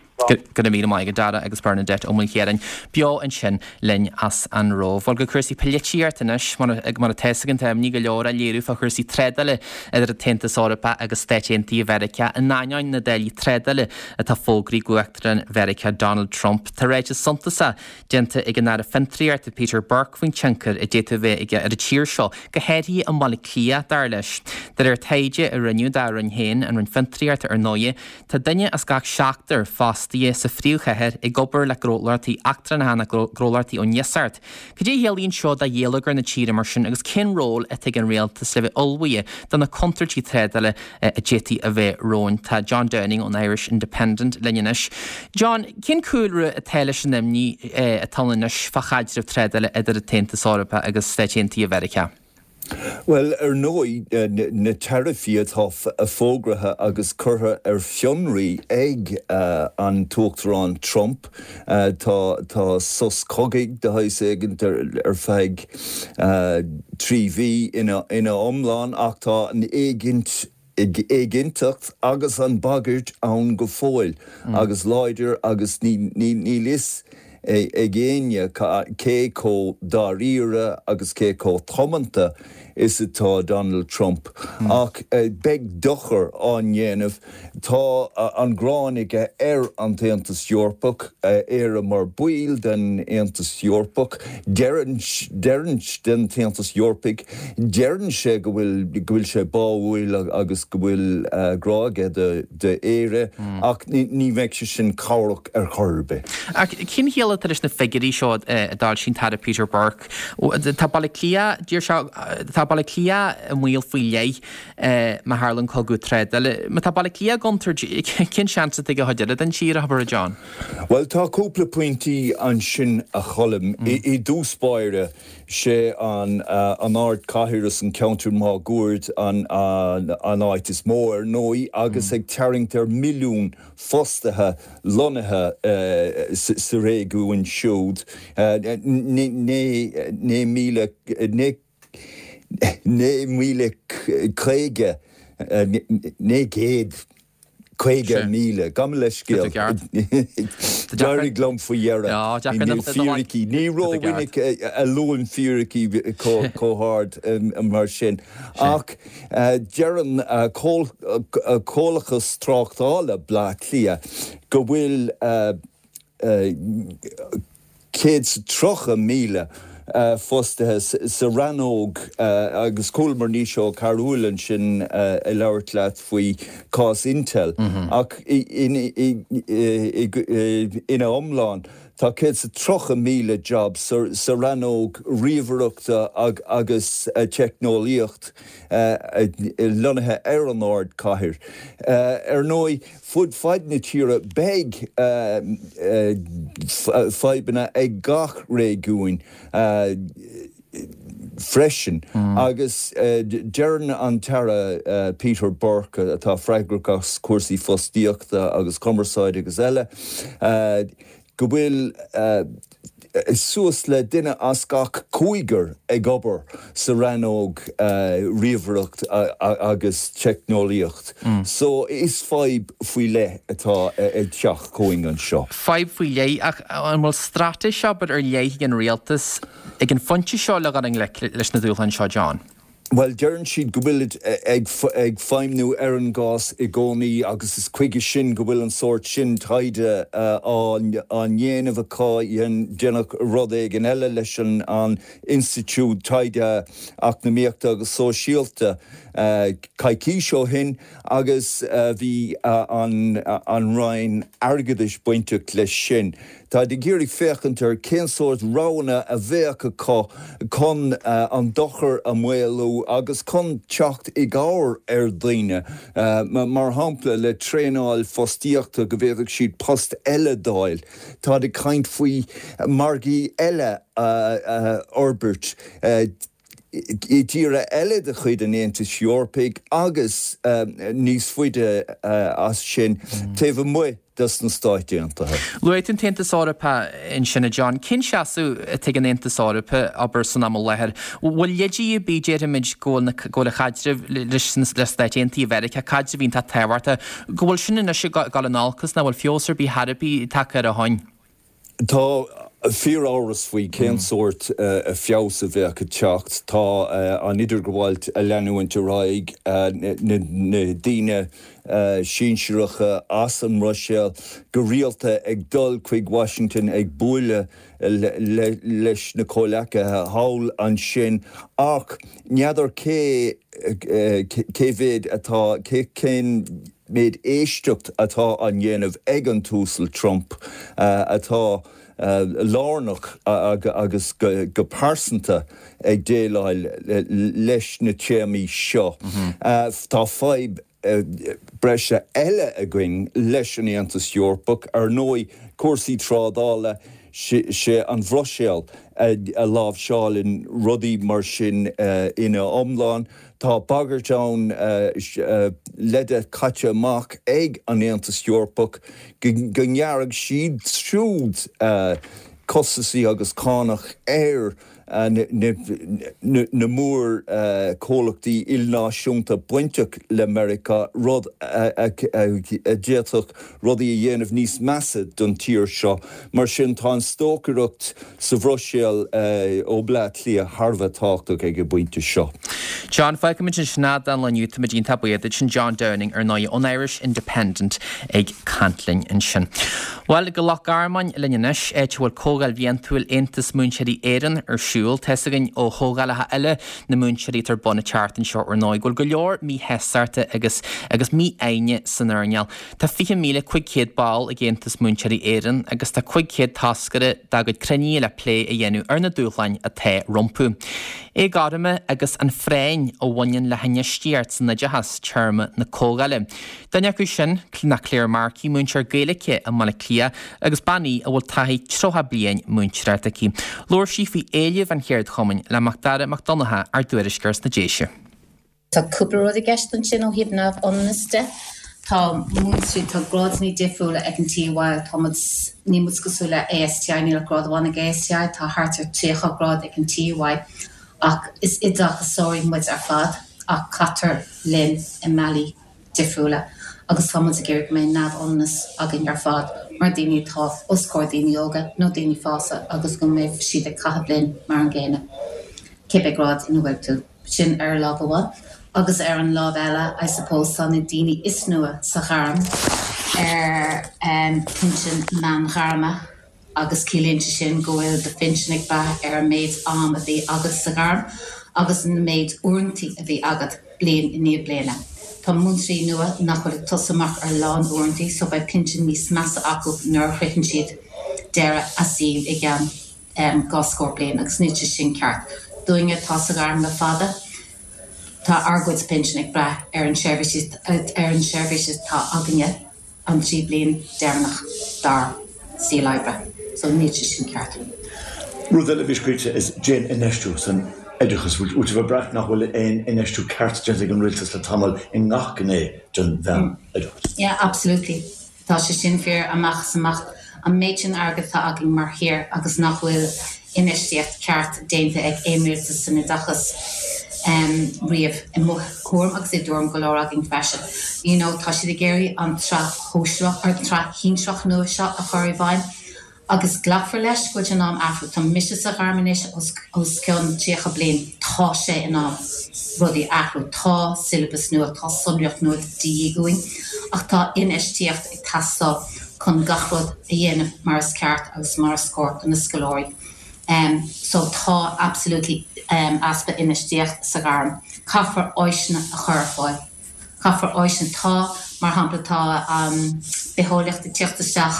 Go raibh míle maith agat Dara agus Bernadette Ó Maoilchiaráin beo ansin linn as an Róimh. Bhuel go cúrsaí polaitíochta anois, mar atá fhios againn tá imní go leor á léiriú fá chúrsaí trádála idir an tAontas Eorpach agus Stáit Aontaithe Mheiriceá in ainneoin na dtáillí trádála atá fógraithe ag Uachtarán Mheiriceá Donald Trump. Tá ráiteas suntasach déanta ag an Aire Fiontraíochta Peter Burke faoin tionchar a d'fhéadfadh a bheith aige ar an tír seo, go háirithe i mBaile Átha Cliath, dar leis. De réir taighde a rinneadh dá roinn féin, an Roinn Fiontraíochta ar ndóigh, tá duine as gach seachtar fostaithe sa phríomhchathair ag obair le gnólachtaí eachtrannacha nó gnólachtaí ón iasacht. Cad é a chiallaíonn seo do gheilleagar na tíre mar sin agus cén ról atá ag an rialtas le bheith ullmhaithe do na contúirtí trádála a d'fhéadfadh a bheith romhainn? Tá John Downing ón Irish Independent linn anois. John, cén cúlra atá leis an imní atá ann anois fá chaidreamh trádála idir an tAontas Eorpach agus Stáit Aontaithe Mheiriceá? Bhuel, ar ndóigh, na taraifí atá fógraithe agus curtha ar fionraí ag an tUachtarán Trump, tá tá sos cogaidh de shaghas éigin ar feadh trí mhí ina ina iomlán ach tá an éiginnteacht agus an bhagairt ann go fóill agus láidir agus níl fhios ag éinne cé chomh dáiríre agus cé chomh tiomanta is atá Donald Trump. Ach beidh dochar á dhéanamh. Tá an ghráin aige ar an tAontas Eorpach, Éire mar baill den Aontas Eorpach. Deireann den tAontas Eorpaigh, deireann sé go bhfuil go bhfuil sé báúil agus go bhfuil grá aige d'Éire ach ní bheidh sé sin cabhrach ar chor ar bith. Ach cén chiall atá leis na figiúirí seo a d'fhoilsigh an tAire Peter Burke? Tá Baile Átha Cliath, deir sé, tá Baile Átha Cliath i mbaol faoi leith má tharlaíonn cogadh trádála. Má tá Baile Átha Cliath i gcontúirt, cén seans atá ag an chuid eile den tír, abair, a John? Bhuel, tá cúpla pointí ansin a Choilm. I dtús báire, sé an ardchathair is an ceantar máguaird an áit is mó, ar ndóigh, agus ag tarraingt ar milliún fostaithe lonnaithe sa réigiún siúd. Naoi míle, naoi míle caoga, naoi gcéad caoga míle, gabh mo leithscéal. D'éirigh liom faoi dheireadh. Fíricí, ní rómhinic a luaim fíricí chomh hard mar sin. Ach deireann Comhlachas Tráchtála Bhaile Átha Cliath go bhfuil céad 's tríocha míle fostaithe sa rannóg agus chualamar Naoise Ó Cearúil ansin ag labhairt leat faoi chás Intel ach ina iomlán tá céad 's tríocha míle job sa rannóg ríomhaireachta agus teicneolaíocht lonnaithe ar an ardchathair. Ar ndóigh, fud fad na tíre beidh fadhbanna ag gach réigiún freisin agus deireann an tAire Peter Burke, atá freagrach as cúrsaí fostaíochta agus cumarsáide agus eile, go bhfuil suas le duine as gach cúigear ag obair sa rannóg ríomhaireacht agus teicneolaíocht. So is fadhb faoi leith atá ag teacht chugainn anseo. Fadhb faoi leith, ach an bhfuil straitéis, abair, ar leith ag an rialtas ag an phointe seo le dhul i ngleic leis na dúshláin seo, John? Bhuel, deireann siad go bhfuilid ag feidhmiú ar an gcás i gcónaí agus is chuige sin go bhfuil an sórt sin taighde á ndéanamh acu. Deineadh rud éigin eile leis an Institiúid Taighde Eacnamaíochta agus Sóisialta coicís ó shin agus bhí an Roinn Airgeadais bainteach leis sin. Táid ag iarraidh féachaint ar cén sórt roghanna a bheadh acu chun an dochar a mhaolú agus chun teacht i gcabhair ar dhaoine, mar shampla le traenáil fostaíochta go bhféadfadh siad post eile d'fháil. Táid ag caint faoi margaí eile a fhorbairt. i dtíortha eile de chuid an Aontais Eorpaigh agus níos faide as sin taobh amuigh des na Stáit Aontaithe. Luaigh tú an tAontas Eorpach ansin, a John. Cén seasamh atá ag an Aontas Eorpach, abair, san am i láthair? Bhfuil leidí ar bith, déarfaimid, go bhfuil go bhfuil an chaidreamh leis le Stáit Aontaithe Mheiriceá, caidreamh iontach tábhachtach, go bhfuil sin anois ag dul in olcas, nach bhfuil feabhas ar bith thar ar bith tagtha air ó shoin? Tá fíoramhras faoi cén sórt feabhas a bheadh ag teacht. Tá an idirghabháil ag leanúint ar aghaidh, na daoine sinsearacha as an mBruiséil go rialta ag dul chuig Washington ag bualadh leis na comhleacaithe thall ansin ach n'fheadar cé cé mhéad atá, cén méid éisteacht atá á dhéanamh ag an tUasal Trump atá lárnach agus go pearsanta ag déileáil leis na téamaí seo. Tá fadhb breise eile againn leis an Aontas Eorpach, ar ndóigh, cúrsaí trádála, sé an Bhruiséil a láimhseálann rudaí mar sin ina iomlán. Tá bagairt ann, leide caite amach ag an Aontas Eorpach go ngearrfaidh siad siúd costasaí agus cánach ar na mór-chomhlachtaí ilnáisiúnta bainteach le Meiriceá, rud a d'fhéadfadh rudaí a dhéanamh níos measa don tír seo. Mar sin, tá an stocaireacht sa Bhruiséil ó Bleá Cliath thar a bheith tábhachtach ag an bpointe seo. John, fágfaimid ansin é don lá inniu. Táimid iontach buíoch duit. Sin John Downing, ar ndóigh, ón Irish Independent ag caint linn ansin. Bhuel, go Loch Garman linn anois, áit a bhfuil Comhdháil Bhliantúil Aontas Múinteoirí Éireann ar siúl. Tá's againn ó chomhdhálacha eile na múinteoirí atá ar bun an tseachtain seo ar ndóigh, go bhfuil go leor míshástachta agus agus mífhoighne san earnáil. Tá fiche míle cúig chéad ball ag Aontas Múinteoirí Éireann agus tá cúig chéad toscaire dá gcuid cruinnithe le plé a dhéanamh ar na dúshláin atá rompu. Éagothroime agus an phráinn a bhaineann le hinfheistíocht san oideachas, téama na comhdhála. Duine acu sin ná Claire Markey, múinteoir Gaeilge i mBaile Átha Cliath agus bean í a bhfuil taithí tríocha bliain múinteoireachta aici. Labhair sí faoi éilimh an cheardchumainn le Macdara Mac Donncha, ár dtuairisceoir sna Déise. Tá cúpla rud i gceist ansin ó thaobh neamhionannas de. Tá múinteoirí, tá grádanna difriúla ag an TUI, tá muid, níl muid cosúil le ASTI, níl ach grád amháin ag ASTI, tá thart ar tríocha grád ag an TUI ach is oideachasóirí muid ar fad ach caitear linn i mbealaí difriúla agus tá muid ag iarraidh go mbeidh neamhionannas againn ar fad mar daoine atá os comhair daoine óga nó daoine fásta agus go mbeidh siad ag caitheamh linn mar an gcéanna cibé grád ina bhfuil tú. Sin ar lámh amháin. Agus ar an lámh eile, I suppose, tá na daoine is nua sa ghairm ar pinsean meán-ghairme agus ciallaíonn sé sin go bhfuil do phinsean ag brath ar an méid am a bhí agat sa ghairm agus an méid uaireantaí a bhí agat bliain i ndiaidh bliana. Tá múinteoirí nua nach bhfuil ag tosú amach ar lán uaireantaí so beidh pinsean níos measa acu nuair a shroicheann siad deireadh a saoil i gceann dhá scór bliain agus níl sé sin ceart. Dúinne atá sa ghairm le fada, tá ár gcuid pinsean ag brath ar an seirbhís ar an seirbhís atá againne an trí bliain deireanach dár saol oibre. So níl sé sin ceart. Rud eile a bhí scríte is déan infheistiú san oideachas. Bhfuil sibh ag brath nach bhfuil aon infheistiú ceart déanta ag an rialtas le tamall i ngach gné den mheánoideachas? Yeah, absolutely. Tá sé sin fíor amach is amach. An méid sin airgid atá againn mar thír agus nach bhfuil infheistíocht ceart déanta ag aon rialtas san oideachas riamh, i mo thuairim agus i dtuairim go leor againn freisin. You know, tá siad ag iarraidh an tsraith shóisearach, or an tsraith shinsearach nua seo a chur i bhfeidhm agus glacfar leis go bhfuil sé in am athrú. Tá mise sa ghairm anois os cionn tríocha bliain, tá sé in am rudaí a athrú. Tá siollabas nua, tá sonraíocht nua de dhíth uainn ach tá infheistíocht ag teastáil chun gach rud a dhéanamh mar is ceart agus mar is cóir do na scoláirí. So tá absolutely easpa infheistíocht sa ghairm. Caithfear áiseanna a chur ar fáil. Caithfear áiseanna, tá, mar shampla tá bitheolaíocht ag tíocht isteach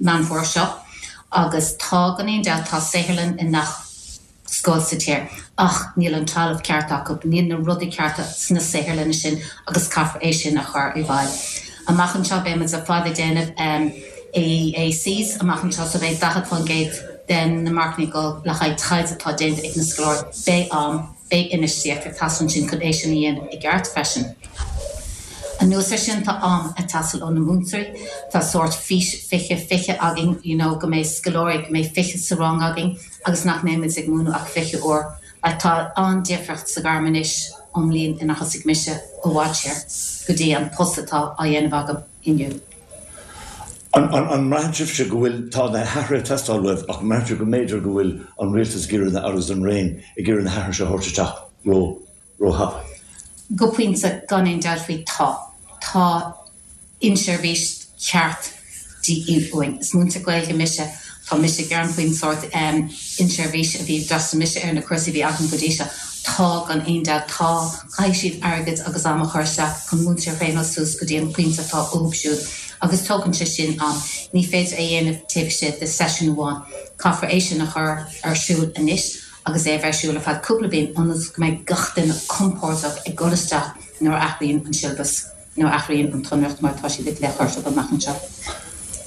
Meán Fómhair seo agus tá, gan aon dabht, tá saotharlann i ngach scoil sa tír ach níl an trealamh ceart acu, níl na rudaí cearta sna saotharlanna sin agus caithfear é sin a chur i bhfeidhm. Amach anseo beidh muid ar fad ag déanamh AACs amach anseo so beidh daichead faoin gcéad den na marcanna ag dul le haghaidh taighde atá déanta ag na scoláirí. Beidh am. Beidh infheistíocht ag teastáil ansin chun é sin a dhéanamh i gceart freisin. Anuas air sin tá am ag teastáil ó na múinteoirí, tá sórt fís fiche fiche againn, you know, go mbeidh scoláirí, go mbeidh fiche sa rang againn agus nach mbeidh muid ag múineadh ach fiche uair. Like tá an-difríocht sa ghairm anois ón mbliain inar thosaigh mise i bhfad siar go dtí an post atá á dhéanamh agam inniu. An mbraitheann sibhse go bhfuil, tá na hathruithe ag teastáil uaibh ach an mbraitheann sibh go mb'fhéidir go bhfuil an rialtas ag iarraidh na, agus an Roinn ag iarraidh na hathruithe seo a thabhairt isteach ró, ró-thapa? Go pointe, gan aon dabht faoi, tá. Tá inseirbhís cheart de dhíth uainn. Is múinteoir Gaeilge mise. Tá mise ag gearán faoin sórt inseirbhís a bhí, d'fhreastail mise ar na cúrsaí a bhí againn go dtí seo. Tá, gan aon dabht, tá. Caithfidh siad airgead agus am a chur isteach chun múinteoir a thraenáil suas go dtí an pointe atá uathu siúd agus tógann sé sin am. Ní féidir é a dhéanamh taobh istigh de seisiún amháin. Caithfear é sin a chur ar siúl anois agus é a bheith ar siúl ar feadh cúpla bliain ionas go mbeidh gach duine compordach ag dul isteach nuair a athraíonn an siollabas. Nuair a athraíonn an tsonraíocht mar atá siad ag le cur amach anseo.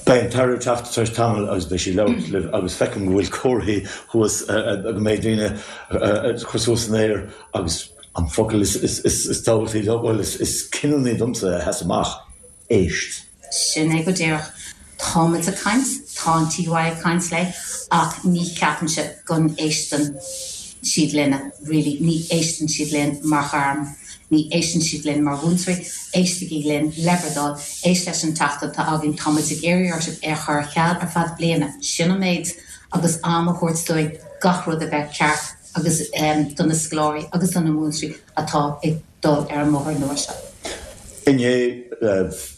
Beidh an tAire ag teacht tar éis tamaill agus beidh sí ag labhairt libh agus feicim go bhfuil comharthaí thuas go mbeidh daoine ag cur suas san aer agus an focal is tábhachtaí, bhuel is cinniúnaí domsa a sheas amach, éist. Sin é go díreach. Táimid ag caint, tá an TUI ag caint léi ach ní cheapaimse go n-éisteann siad linne, really, ní éisteann siad linn mar ghairm, ní éisteann siad linn mar mhúinteoirí, éistigí linn, le bhur dtoil, éist leis an teachtaireacht atá againn, tá muid ag iarraidh oraibh é a chur ar ceal ar feadh bliana, sin an méid, agus am a thabhairt dúinn gach rud a bheith ceart agus do na scoláirí agus do na múinteoirí atá ag dul ar an mbóthar nua seo. Inné,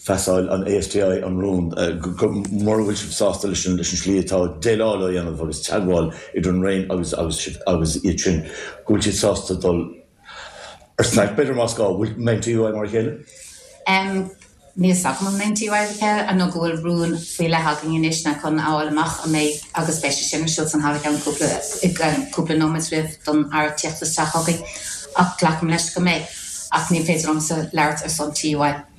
phasáil an ASTI an rún go mura bhfuil sibh sásta leis an slí atá déileáil á dhéanamh agus teagmháil idir an Roinn agus agus sibh agus iad sin, go bhfuil siad sásta dul ar stailc, b'fhéidir, más gá. Bhfuil mbeidh an TUI mar a chéile? Níl 's agam an mbeidh an TUI mar a chéile nó go bhfuil rún faoi leith againn anois ná chun a fháil amach an mbeidh agus beidh sé sin ar siúl san halla i gceann cúpla i gceann cúpla nóiméad roimh don Aire tíocht isteach chugainn ach glacaim leis go mbeidh. Ach ní féidir liomsa labhairt ar son TUI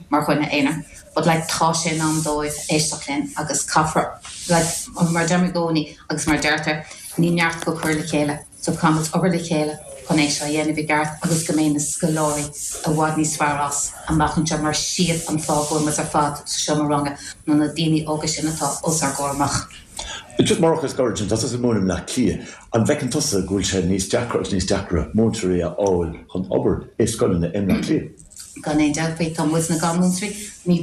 mar dhuine aonair. But like tá sé in am dóibh éisteacht linn agus caithfear like mar deirim i gcónaí agus mar deirtear ní neart go cur le chéile so caithfimid obair le chéile chun é seo a dhéanamh i gceart agus go mbeidh na scoláirí i bhfad níos fearr as amach anseo mar siad an fáth go bhfuil muid ar fad sa seomra ranga ná na daoine óga sin atá os ár gcomhair amach. Just mar fhocal scoir ansin, tá tusa ag múineadh i mBleá Cliath. An bhfeiceann tusa go bhfuil sé níos deacra agus níos deacra múinteoirí a fháil chun obair i scoileanna i mBleá Cliath? Gan aon dabht faoi. Tá muidne gan múinteoirí. Ní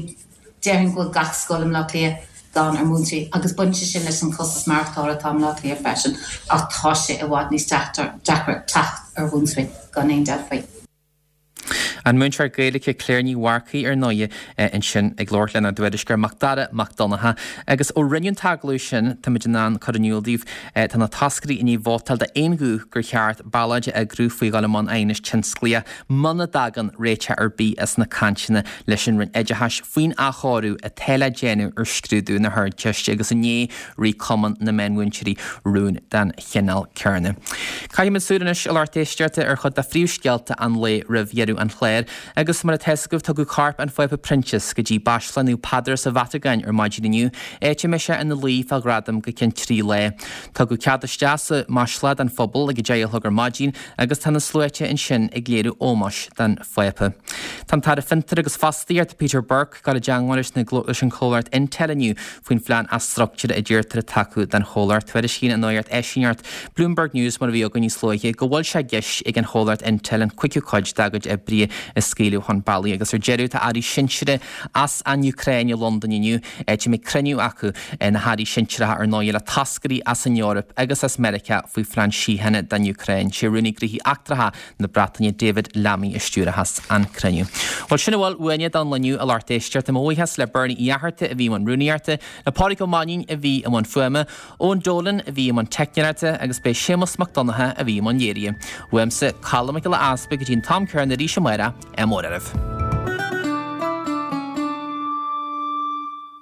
déarfainn go bhfuil gach scoil i mBleá Cliath gann ar mhúinteoirí agus baineann sé sin leis an chostas maireachtála atá i mBleá Cliath freisin ach tá sé i bhfad níos deacra teacht ar mhúinteoirí, gan aon dabht faoi. An múinteoir Gaeilge Claire Ní Mharcaigh ar ndóigh ansin ag labhairt lenár dtuairisceoir Macdara Mac Donncha. Agus ó rinneadh an t-agallamh sin, táimid in ann cur in iúl daoibh, tá na toscairí i ndiaidh vótáil d'aon ghuth gur cheart ballóid a eagrú faoi dhul i mbun aighnis tionsclaíoch muna dtagann réiteach ar bith as na cainteanna leis an Roinn Oideachais faoin athchóiriú atá le déanamh ar scrúdú na hArdteiste agus inné rith Cumann na Meánmhúinteoirí rún den chineál céanna. Caithfimid súil anois, a lucht éisteachta, ar chuid de phríomhscéalta an lae roimh dheireadh an chláir. Agus mar atá 'fhios agaibh, tugadh corp an Phápa Proinsias go dtí Baisleac Naomh Peadar sa Vatacáin ar maidin inniu, áit a mbeidh sé ina luí fá ghradam go ceann trí lá. Tugadh cead isteach sa mbaisleac don phobal ag a deich a chlog ar maidin agus tá na sluaite ansin ag léiriú ómóis don Phápa. Tá an tAire Fiontar agus Fostaíochta Peter Burke ag dul i dteangmháil leis an chomhlacht Intel inniu faoin phlean athstruchtúraithe a deirtear atá acu don chomhlacht. Tuairiscíonn an nuacht eisíneacht Bloomberg News mar a bhí againn níos luaithe go bhfuil sé i gceist ag an chomhlacht Intel an cúigiú cuid dá gcuid oibrithe a scaoileadh chun bealaigh agus ar deireadh tá airí sinsearacha as an Úcráin i Londain inniu, áit a mbeidh cruinniú acu, na hairí sinsearacha ar ndóigh, le toscairí as an Eoraip agus as Meiriceá faoi phlean síochána don Úcráin. Sé Rúnaí Gnóthaí Eachtracha na Breataine David Lammy a stiúrfas an cruinniú. Bhuel sin a bhfuil uainne don lá inniu a lucht éisteachta. Mo bhuíochas le Bernie Uí Fhatharta a bhí i mbun rúnaíochta, le Pádraig Ó Mainnín a bhí i mbun fuaime, Eoin Dolan a bhí i mbun teicneoireachta agus b'é Séamus Mac Donncha a bhí i mbun léirithe. Uaimse, Colm Mac Giolla Easpaig go dtí an t-am céanna arís amárach, ádh mór oraibh.